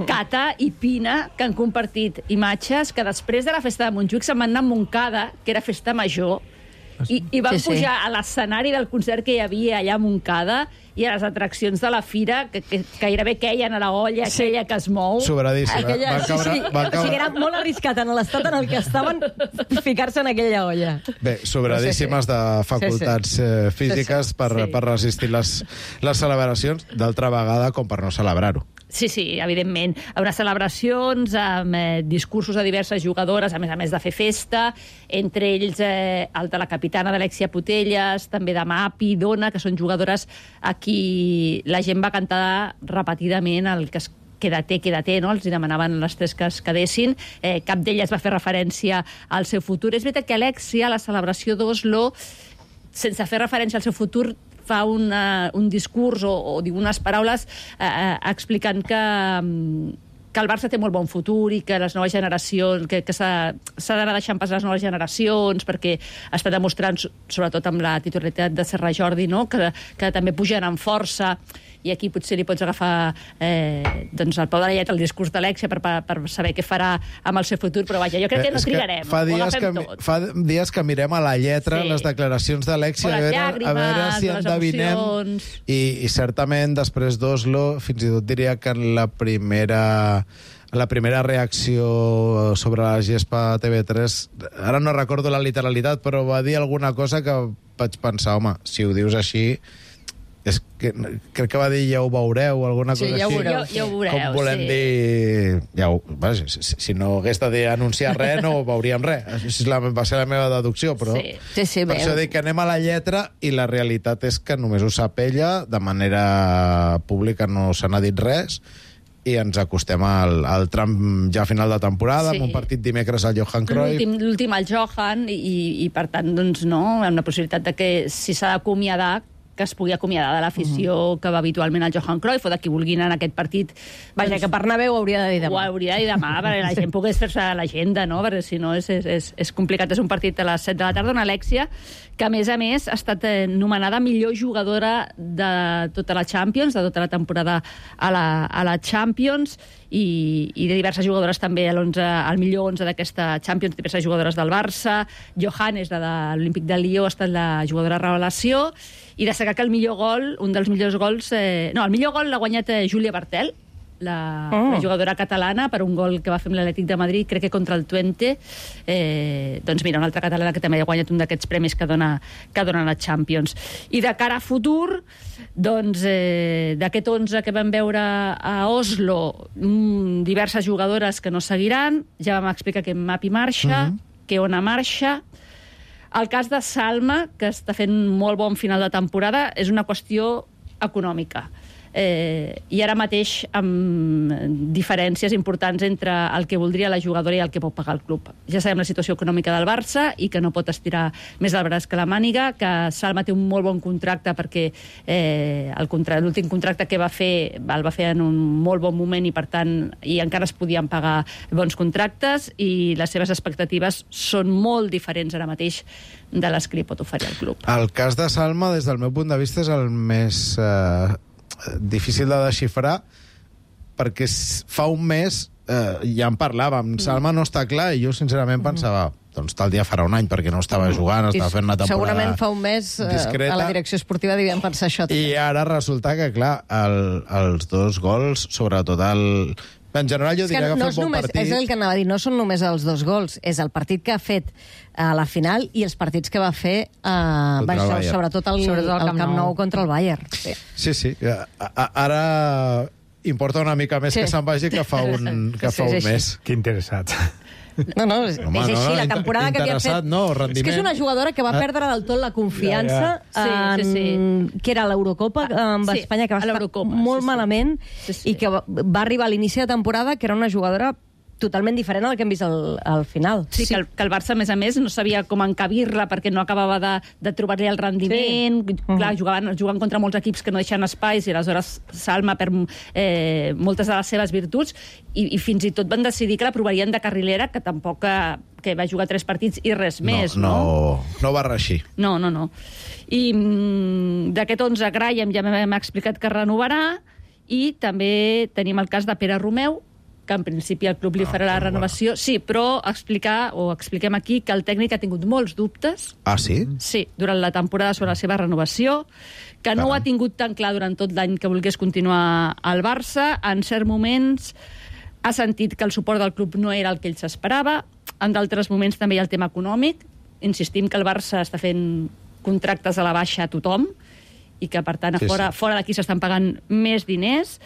Speaker 3: Cata i Pina, que han compartit imatges que després de la festa de Montjuïc se'n van anar a Montcada, que era festa major, i, i van
Speaker 11: Sí, sí.
Speaker 3: pujar a l'escenari del concert que hi havia allà a Montcada i a les atraccions de la fira, que, que, que gairebé queien a la olla aquella que es mou.
Speaker 2: Sobradíssima.
Speaker 3: Aquella,
Speaker 2: Van caure-
Speaker 3: sí, sí.
Speaker 2: van caure-
Speaker 3: O sigui, era molt arriscat en l'estat en el que estaven ficar-se en aquella olla.
Speaker 2: Bé, sobradíssimes de facultats eh, físiques per, per resistir les, les celebracions, d'altra vegada com per no celebrar-ho.
Speaker 3: Sí, sí, evidentment. Unes celebracions amb eh, discursos de diverses jugadores, a més a més de fer festa, entre ells eh, el de la capitana d'Alexia Putellas, també de Mapi, Dona, que són jugadores a qui la gent va cantar repetidament el que es quédate, quédate, no? Els hi demanaven les tres que es quedessin. Eh, cap d'elles va fer referència al seu futur. És veritat que Alexia, a la celebració d'Oslo, sense fer referència al seu futur, fa una, un discurs o, o diu unes paraules eh, eh, explicant que, que el Barça té molt bon futur i que les noves generacions, que, que s'ha d'anar deixant passar les noves generacions, perquè està demostrant, sobretot amb la titularitat de Serra Jordi, no? que, que també pugen amb força, i aquí potser li pots agafar eh, doncs el peu de la lletra, el discurs d'Alexia per, per, per saber què farà amb el seu futur, però vaja, jo crec que no
Speaker 2: És que
Speaker 3: trigarem,
Speaker 2: fa
Speaker 3: ho
Speaker 2: dies
Speaker 3: agafem
Speaker 2: que,
Speaker 3: tot.
Speaker 2: fa dies que mirem a la lletra
Speaker 3: Sí.
Speaker 2: les declaracions d'Alexia,
Speaker 3: O
Speaker 2: a,
Speaker 3: les
Speaker 2: veure, a veure
Speaker 3: llàgrimes,
Speaker 2: si
Speaker 3: o les
Speaker 2: endevinem.
Speaker 3: emocions.
Speaker 2: I, I certament, després d'Oslo, fins i tot diria que en la primera... la primera reacció sobre la gespa a T V tres, ara no recordo la literalitat, però va dir alguna cosa que vaig pensar, home, si ho dius així, és que, crec que va dir ja ho veureu, alguna
Speaker 3: Sí,
Speaker 2: cosa
Speaker 3: ja ho
Speaker 2: així.
Speaker 3: veureu, ja ho veureu,
Speaker 2: Com volem
Speaker 3: sí.
Speaker 2: dir... Ja ho, vaja, si, si no hagués d'anunciar res, no veuríem res. Això és la, va ser la meva deducció, però...
Speaker 3: Sí.
Speaker 11: Sí, sí,
Speaker 2: per
Speaker 11: bé.
Speaker 2: això dic que anem a la lletra i la realitat és que només ho sap ella, de manera pública no se n'ha dit res, i ens acostem al, al tram ja final de temporada,
Speaker 3: Sí.
Speaker 2: amb un partit dimecres al Johan Cruyff.
Speaker 3: L'últim l'últim al Johan, i, i per tant, doncs, no, amb la possibilitat de que si s'ha d'acomiadar,
Speaker 5: que es pugui acomiadar de l'afició mm. que va habitualment al Johan Cruyff, o de qui vulguin en aquest partit.
Speaker 3: Vaja, doncs, que Bernabéu ho hauria de dir demà.
Speaker 5: Ho hauria de dir demà, perquè la gent pogués fer-se l'agenda, no? Perquè si no és, és, és complicat. És un partit a les set de la tarda, una Alexia, que a més a més ha estat nomenada millor jugadora de tota la Champions, de tota la temporada a la, a la Champions, i, i de diverses jugadores també al millor onze d'aquesta Champions, diverses jugadores del Barça. Johannes, de, de l'Olímpic de Lió, ha estat la jugadora revelació, i destacar que el millor gol, un dels millors gols... Eh, no, el millor gol l'ha guanyat eh, Júlia Bartel, la, oh. la jugadora catalana, per un gol que va fer amb l'Atlètic de Madrid, crec que contra el Twente. Eh, doncs mira, una altra catalana que també ha guanyat un d'aquests premis que dona, que dona la Champions. I de cara a futur, doncs eh, d'aquest onze que vam veure a Oslo, mm, diverses jugadores que no seguiran. Ja vam explicar que Mapi marxa, mm-hmm. que Ona marxa. El cas de Salma, que està fent molt bon final de temporada, és una qüestió econòmica. Eh, i ara mateix amb diferències importants entre el que voldria la jugadora i el que pot pagar el club. Ja sabem la situació econòmica del Barça i que no pot estirar més el braç que la màniga, que Salma té un molt bon contracte perquè eh, l'últim contracte que va fer el va fer en un molt bon moment i per tant i encara es podien pagar bons contractes, i les seves expectatives són molt diferents ara mateix de les que li pot oferir el club.
Speaker 2: El cas de Salma, des del meu punt de vista, és el més... Eh... difícil de desxifrar, perquè fa un mes eh, ja en parlàvem, Salma no està clar, i jo sincerament pensava, doncs tal dia farà un any, perquè no estava jugant, estava fent una temporada
Speaker 3: segurament fa un mes discreta. A la direcció esportiva devien pensar això també.
Speaker 2: I ara resulta que, clar, el, els dos gols, sobretot el... En general jo diria que, que
Speaker 3: no
Speaker 2: ha fet bon
Speaker 3: només,
Speaker 2: partit.
Speaker 3: És el que anava a dir, no són només els dos gols, és el partit que ha fet a la final i els partits que va fer eh, va, el sobretot el, sobretot el, el Camp, Camp Nou contra el Bayern. Sí, sí.
Speaker 2: sí. A, a, ara importa una mica més sí. que se'n vagi que fa un, que fa un mes.
Speaker 24: Que interessat.
Speaker 3: No, no, és, Home, és així, no, la temporada que havia fet...
Speaker 2: No, rendiment.
Speaker 3: És que és una jugadora que va perdre del tot la confiança ja, ja. En, sí, sí, sí. que era l'Eurocopa amb sí, Espanya, que va estar molt sí, sí. malament, sí, sí. i que va, va arribar a l'inici de temporada que era una jugadora totalment diferent al que hem vist al, al final.
Speaker 5: Sí, sí. Que, el, que el Barça, a més a més, no sabia com encabir-la perquè no acabava de, de trobar-li el rendiment. Sí. Clar, uh-huh. jugaven, juguen contra molts equips que no deixen espais i aleshores Salma per eh, moltes de les seves virtuts i, i fins i tot van decidir que la provarien de carrilera, que tampoc que, que va jugar tres partits i res
Speaker 2: no,
Speaker 5: més,
Speaker 2: no?
Speaker 5: No,
Speaker 2: no va reixir.
Speaker 5: No, no, no. I mm, d'aquest onze, Graham ja m'ha explicat que renovarà, i també tenim el cas de Pere Romeu, que en principi el club li farà ah, la renovació. Bueno. Sí, però explicar, o expliquem aquí, que el tècnic ha tingut molts dubtes.
Speaker 2: Ah, sí?
Speaker 5: Sí, durant la temporada sobre la seva renovació, que no Caram. ho ha tingut tan clar durant tot l'any que volgués continuar al Barça. En certs moments ha sentit que el suport del club no era el que ell s'esperava. En d'altres moments també hi ha el tema econòmic. Insistim que el Barça està fent contractes a la baixa a tothom i que, per tant, a sí, fora, sí. fora d'aquí s'estan pagant més diners.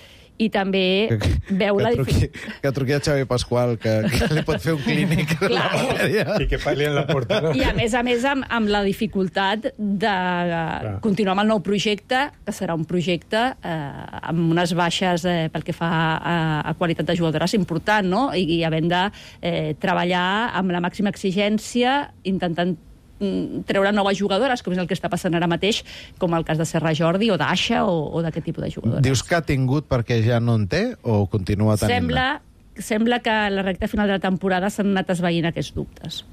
Speaker 5: I també
Speaker 2: que,
Speaker 5: veu
Speaker 2: que
Speaker 5: la
Speaker 2: dificultat... Que truqui a Xavi Pasqual, que, que li pot fer un clínic.
Speaker 24: I que parli en la portada.
Speaker 5: I a més a més amb, amb la dificultat de Clar. continuar amb el nou projecte, que serà un projecte eh, amb unes baixes eh, pel que fa a, a qualitat de jugadores important, no? I, i havent de eh, treballar amb la màxima exigència, intentant treure noves jugadores, com és el que està passant ara mateix, com el cas de Serra Jordi o d'Aixa o, o d'aquest tipus de jugadores.
Speaker 2: Dius que ha tingut perquè ja no en té o continua tenint?
Speaker 5: Sembla, sembla que a la recta final de la temporada s'han anat esvaint aquests dubtes.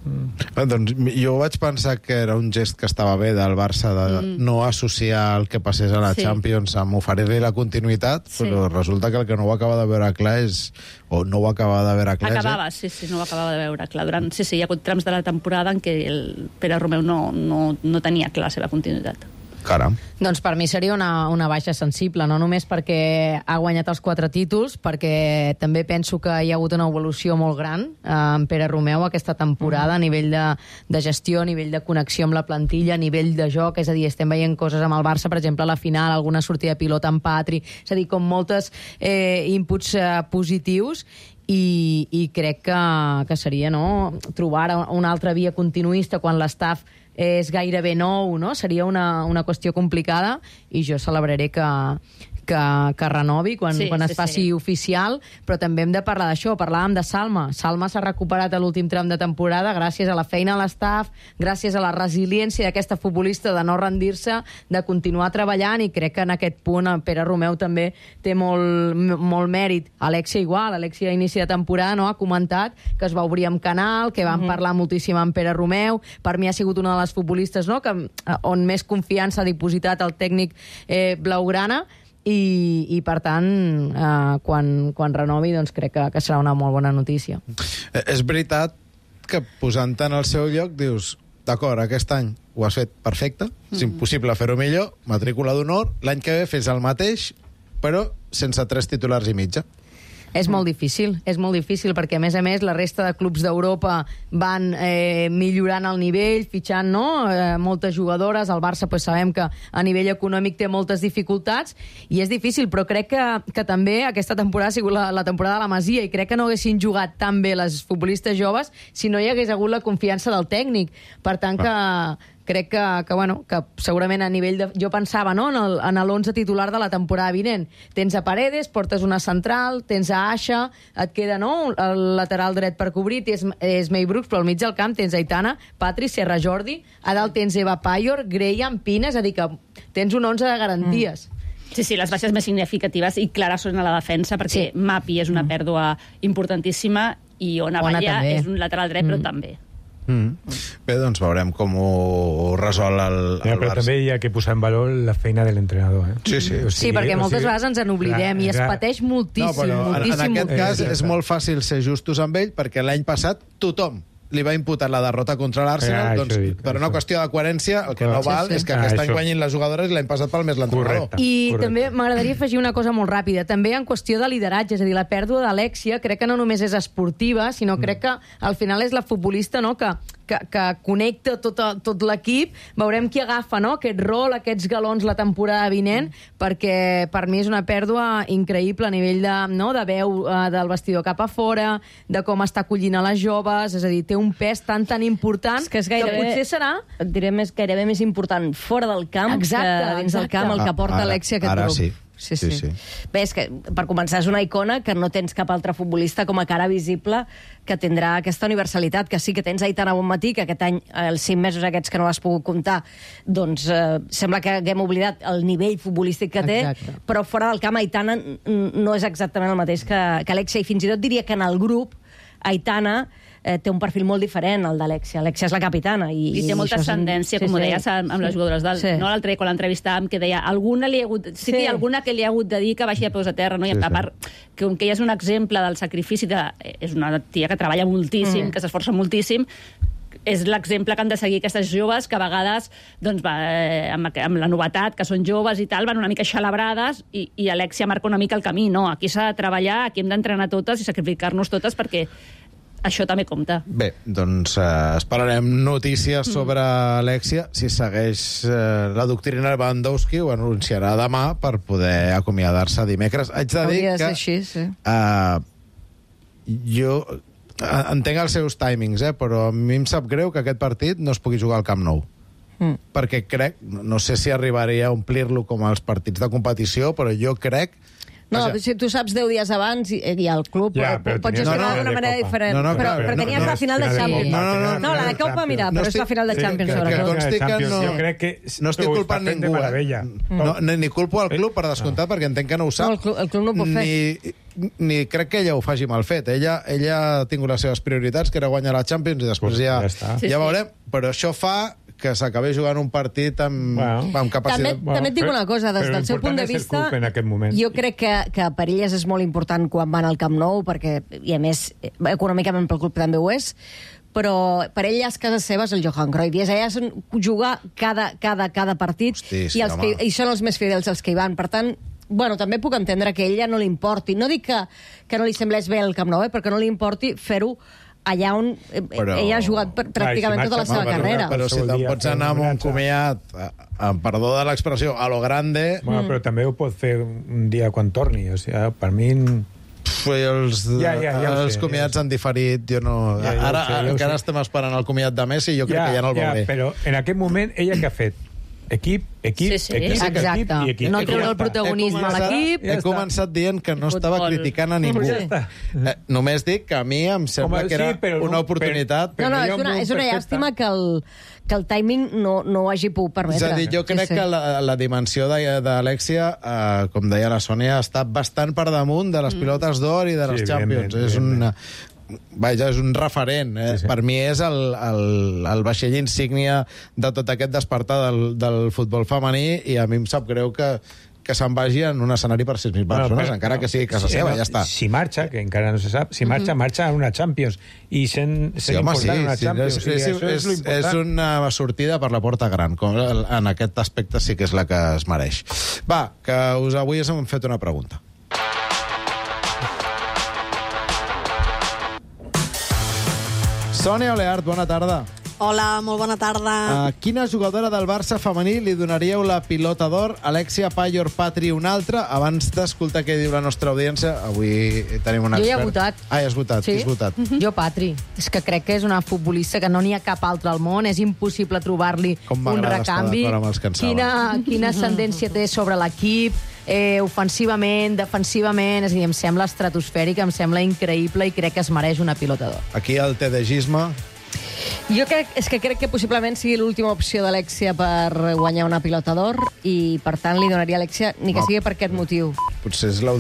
Speaker 2: Mm. Ah, doncs jo vaig pensar que era un gest que estava bé del Barça de mm. no associar el que passés a la sí. Champions amb oferir-li la continuïtat, sí. però resulta que el que no ho acaba de veure clar és... o no ho acaba de veure clar
Speaker 5: Acabava,
Speaker 2: eh?
Speaker 5: sí, sí, no ho acabava de veure clar. Durant, sí, sí, hi ha hagut trams de la temporada en què el Pere Romeu no, no, no tenia clar la seva continuïtat.
Speaker 2: Caram.
Speaker 11: Doncs per mi seria una, una baixa sensible, no només perquè ha guanyat els quatre títols, perquè també penso que hi ha hagut una evolució molt gran eh, en Pere Romeu aquesta temporada, mm. a nivell de, de gestió, a nivell de connexió amb la plantilla, a nivell de joc, és a dir, estem veient coses amb el Barça, per exemple, a la final, alguna sortida de pilota amb Patri, és a dir, com moltes eh, inputs eh, positius, i, i crec que, que seria no, trobar una altra via continuista quan l'estaf és gairebé nou, no? Seria una, una qüestió complicada, i jo celebraré que, que, que renovi quan,
Speaker 5: Sí,
Speaker 11: quan
Speaker 5: sí,
Speaker 11: es faci
Speaker 5: sí.
Speaker 11: oficial, però també hem de parlar d'això. Parlàvem de Salma. Salma s'ha recuperat a l'últim tram de temporada gràcies a la feina a l'estaf, gràcies a la resiliència d'aquesta futbolista de no rendir-se, de continuar treballant, i crec que en aquest punt en Pere Romeu també té molt, molt mèrit. Alexia igual, Alexia a inici de temporada no, ha comentat que es va obrir amb canal, que van mm-hmm. parlar moltíssim amb Pere Romeu. Per mi ha sigut una de les futbolistes no, que, on més confiança ha dipositat el tècnic eh, blaugrana, i, i per tant, eh, quan, quan renovi, doncs crec que, que serà una molt bona notícia.
Speaker 2: Eh, és veritat que posant-te en el seu lloc dius, d'acord, aquest any ho has fet perfecte, mm-hmm. és impossible fer-ho millor, matrícula d'honor, l'any que ve fes el mateix, però sense tres titulars i mitja.
Speaker 11: És molt difícil, és molt difícil, perquè a més a més la resta de clubs d'Europa van eh, millorant el nivell, fitxant no? eh, moltes jugadores. El Barça pues, sabem que a nivell econòmic té moltes dificultats i és difícil, però crec que, que també aquesta temporada ha sigut la, la temporada de la Masia, i crec que no haguessin jugat tan bé les futbolistes joves si no hi hagués hagut la confiança del tècnic. Per tant que crec que, que, bueno, que segurament a nivell de... Jo pensava no, en l'onze titular de la temporada vinent. Tens a Paredes, portes una central, tens a Aixa, et queda no, el lateral dret per cobrir, tens, és May Brooks, però al mig del camp tens Aitana, Patri, Serra Jordi, a dalt tens Eva Payor, Graham, Pina, és a dir, que tens un onze de garanties.
Speaker 5: Mm. Sí, sí, les baixes més significatives i clares són a la defensa, perquè sí. Mapi és una pèrdua importantíssima i Ona Valla és un lateral dret, mm. però també.
Speaker 2: Mm. Bé, doncs veurem com ho resol el, el
Speaker 6: ja, però
Speaker 2: Barça.
Speaker 6: també hi ha que posar en valor la feina de l'entrenador. Eh?
Speaker 2: Sí, sí.
Speaker 11: O sigui, sí, perquè moltes o sigui, vegades ens en oblidem clar, i es pateix moltíssim. No, però moltíssim,
Speaker 2: en, en aquest
Speaker 11: moltíssim.
Speaker 2: cas és molt fàcil ser justos amb ell, perquè l'any passat tothom li va imputar la derrota contra l'Arsenal, ah, doncs, dit, per una això. qüestió de coherència, el que no val sí, sí. és que ah, aquest any guanyin les jugadores i l'any passat pel més l'entrenador.
Speaker 11: I
Speaker 2: correcte.
Speaker 11: També m'agradaria afegir una cosa molt ràpida, també en qüestió de lideratge, és a dir, la pèrdua d'Alexia crec que no només és esportiva, sinó mm. crec que al final és la futbolista no, que, que, que connecta tot, tot l'equip. Veurem qui agafa no, aquest rol, aquests galons la temporada vinent, mm. perquè per mi és una pèrdua increïble a nivell de, no, de veu uh, del vestidor cap a fora, de com està acollint a les joves, és a dir, té un pes tan tan important
Speaker 3: és que, és gairebé,
Speaker 11: que potser serà...
Speaker 3: Et diré més, gairebé més important fora del camp exacte, que dins exacte. del camp el que porta ara, Alexia aquest
Speaker 2: ara
Speaker 3: grup.
Speaker 2: Sí.
Speaker 3: Sí, sí. sí, sí. Bé, és que, per començar, és una icona que no tens cap altre futbolista com a cara visible que tindrà aquesta universalitat, que sí que tens Aitana Bonmatí, que aquest any, els cinc mesos aquests que no l'has pogut comptar, doncs eh, sembla que haguem oblidat el nivell futbolístic que té, exacte. Però fora del camp Aitana no és exactament el mateix que, que Alexia, i fins i tot diria que en el grup Aitana eh, té un perfil molt diferent al d'Alexia. Alexia és la capitana. I,
Speaker 5: I té molta ascendència, sí, com ho deies, amb, amb les jugadores del... Sí. No, l'altre dia, quan l'entrevistàvem, que deia alguna li ha hagut... Sí, sí. Que hi ha alguna que li ha hagut de dir que baixi de peus a terra, no? I sí, a part, sí. que, que ella és un exemple del sacrifici de... És una tia que treballa moltíssim, mm. que s'esforça moltíssim, és l'exemple que han de seguir aquestes joves que a vegades, doncs, va, eh, amb, amb la novetat, que són joves i tal, van una mica xalabrades i, i Alexia marca una mica el camí. No, aquí s'ha de treballar, aquí hem d'entrenar totes i sacrificar-nos totes perquè això també compta.
Speaker 2: Bé, doncs eh, esperarem notícies sobre mm. Alexia. Si segueix eh, la doctrina Lewandowski, ho anunciarà demà per poder acomiadar-se dimecres. Haig de dir que...
Speaker 3: Així, sí.
Speaker 2: eh, jo entenc els seus timings, eh, però a mi em sap greu que aquest partit no es pugui jugar al Camp Nou. Mm. Perquè crec, no sé si arribaria a omplir-lo com els partits de competició, però jo crec...
Speaker 3: No, o sigui, si tu saps deu dies abans i, i el club ja, pots gestionar no, no, d'una manera diferent. No, no, però, però, però tenies no, la final de Champions. No, no, no, no, la de Copa, mira, però és la final de Champions, sobretot.
Speaker 2: No, crec que no estic culpant ningú, eh? No, ni culpo al club, per descomptat, perquè entenc que no ho sap.
Speaker 3: No, el club no ho pot fer.
Speaker 2: Ni, ni crec que ella ho faci mal fet. Ella, ella ha tingut les seves prioritats, que era guanyar la Champions, i després ja, ja veurem. Però això fa que s'acabés jugant un partit amb, bueno. amb capacitat...
Speaker 3: També, també et dic una cosa, des del seu punt de vista, jo crec que, que per elles és molt important quan van al Camp Nou, perquè, i a més, econòmicament pel club també ho és, però per elles, cases seves, el Johan Cruyff, i elles jugar cada, cada, cada partit, Hosti, sí, i, els que, i són els més fidels els que hi van. Per tant, bueno, també puc entendre que a ella no li importi. No dic que, que no li semblés bé el Camp Nou, eh, perquè no li importi fer-ho allà on però... ella ha jugat pràcticament tota la seva
Speaker 2: però,
Speaker 3: carrera.
Speaker 2: Però si te'n pots anar amb un comiat, amb perdó de l'expressió, a lo grande...
Speaker 6: Bueno, però també ho pot fer un dia quan torni. O sigui, per mi...
Speaker 2: Els,
Speaker 6: ja, ja, ja
Speaker 2: els
Speaker 6: sé,
Speaker 2: comiats
Speaker 6: ja
Speaker 2: han diferit, jo no...
Speaker 6: Ja, ja
Speaker 2: Ara
Speaker 6: sé, ja
Speaker 2: encara
Speaker 6: sé.
Speaker 2: estem esperant el comiat de Messi i jo crec
Speaker 6: ja,
Speaker 2: que ja no el
Speaker 6: ja,
Speaker 2: veuré.
Speaker 6: Però en aquest moment, ella què ha fet? Equip, equip,
Speaker 5: Sí, sí.
Speaker 6: equip,
Speaker 11: Exacte.
Speaker 6: equip i equip.
Speaker 11: No
Speaker 6: I
Speaker 11: treure
Speaker 6: ja
Speaker 11: el
Speaker 6: està.
Speaker 11: protagonisme a l'equip.
Speaker 2: He començat dient que no estava
Speaker 5: Futbol.
Speaker 2: criticant a ningú.
Speaker 6: Ja està.
Speaker 2: Eh, només dic que a mi em sembla
Speaker 6: Home,
Speaker 2: que era
Speaker 6: sí, però
Speaker 2: una
Speaker 6: no-
Speaker 2: oportunitat.
Speaker 6: però-
Speaker 3: No, no,
Speaker 6: hi ha
Speaker 3: és
Speaker 6: un
Speaker 3: una,
Speaker 6: món
Speaker 3: és una
Speaker 6: perfecte.
Speaker 3: llàstima que el, que el timing no, no ho hagi pogut permetre.
Speaker 2: És a dir, jo crec
Speaker 3: Sí, sí.
Speaker 2: que la, la dimensió de- d'Alexia, eh, com deia la Sònia, està bastant per damunt de les
Speaker 3: Mm.
Speaker 2: pilotes d'or i de les
Speaker 6: Sí,
Speaker 2: Champions.
Speaker 6: evidentment,
Speaker 2: És una... Vaja, és un referent. Eh?
Speaker 6: Sí, sí.
Speaker 2: Per mi és el, el, el vaixell insígnia de tot aquest despertar del, del futbol femení i a mi em sap greu que, que se'n vagi en un escenari per sis mil persones,
Speaker 6: però-
Speaker 2: encara que sigui casa
Speaker 6: Sí,
Speaker 2: seva,
Speaker 6: no,
Speaker 2: ja està.
Speaker 6: Si marxa, que encara no se sap, si marxa, marxa a una Champions. I sent,
Speaker 2: Sí,
Speaker 6: sent
Speaker 2: home, sí,
Speaker 6: important en una
Speaker 2: sí,
Speaker 6: Champions.
Speaker 2: és,
Speaker 6: O sigui,
Speaker 2: és,
Speaker 6: això
Speaker 2: és,
Speaker 6: lo important.
Speaker 2: és una sortida per la porta gran. Com en aquest aspecte sí que és la que es mereix. Va, que us avui us hem fet una pregunta. Sònia Oleart, bona tarda.
Speaker 9: Hola, molt bona tarda.
Speaker 2: A quina jugadora del Barça femení li donaríeu la pilota d'or? Alexia, Payor, Patri, una altra? Abans d'escoltar què diu la nostra audiència, avui tenim un
Speaker 11: Jo
Speaker 2: expert.
Speaker 11: ja he votat.
Speaker 2: Ah, ja has votat.
Speaker 11: Sí?
Speaker 2: Qui has votat?
Speaker 11: Jo, Patri. És que crec que és una futbolista que no n'hi ha cap altre al món. És impossible trobar-li
Speaker 2: Com
Speaker 11: un
Speaker 2: m'agrada estar
Speaker 11: recanvi.
Speaker 2: d'acord amb els que en saben.
Speaker 11: Quina, quina ascendència té sobre l'equip, eh, ofensivament, defensivament... És a dir, em sembla estratosfèrica, em sembla increïble i crec que es mereix una pilota d'or.
Speaker 2: Aquí el tedegisme.
Speaker 3: Jo crec, és que crec que possiblement sigui l'última opció d'Alexia per guanyar una pilota d'or i, per tant, li donaria a Alexia, ni que
Speaker 2: No.
Speaker 3: sigui per aquest motiu.
Speaker 2: Potser és l'última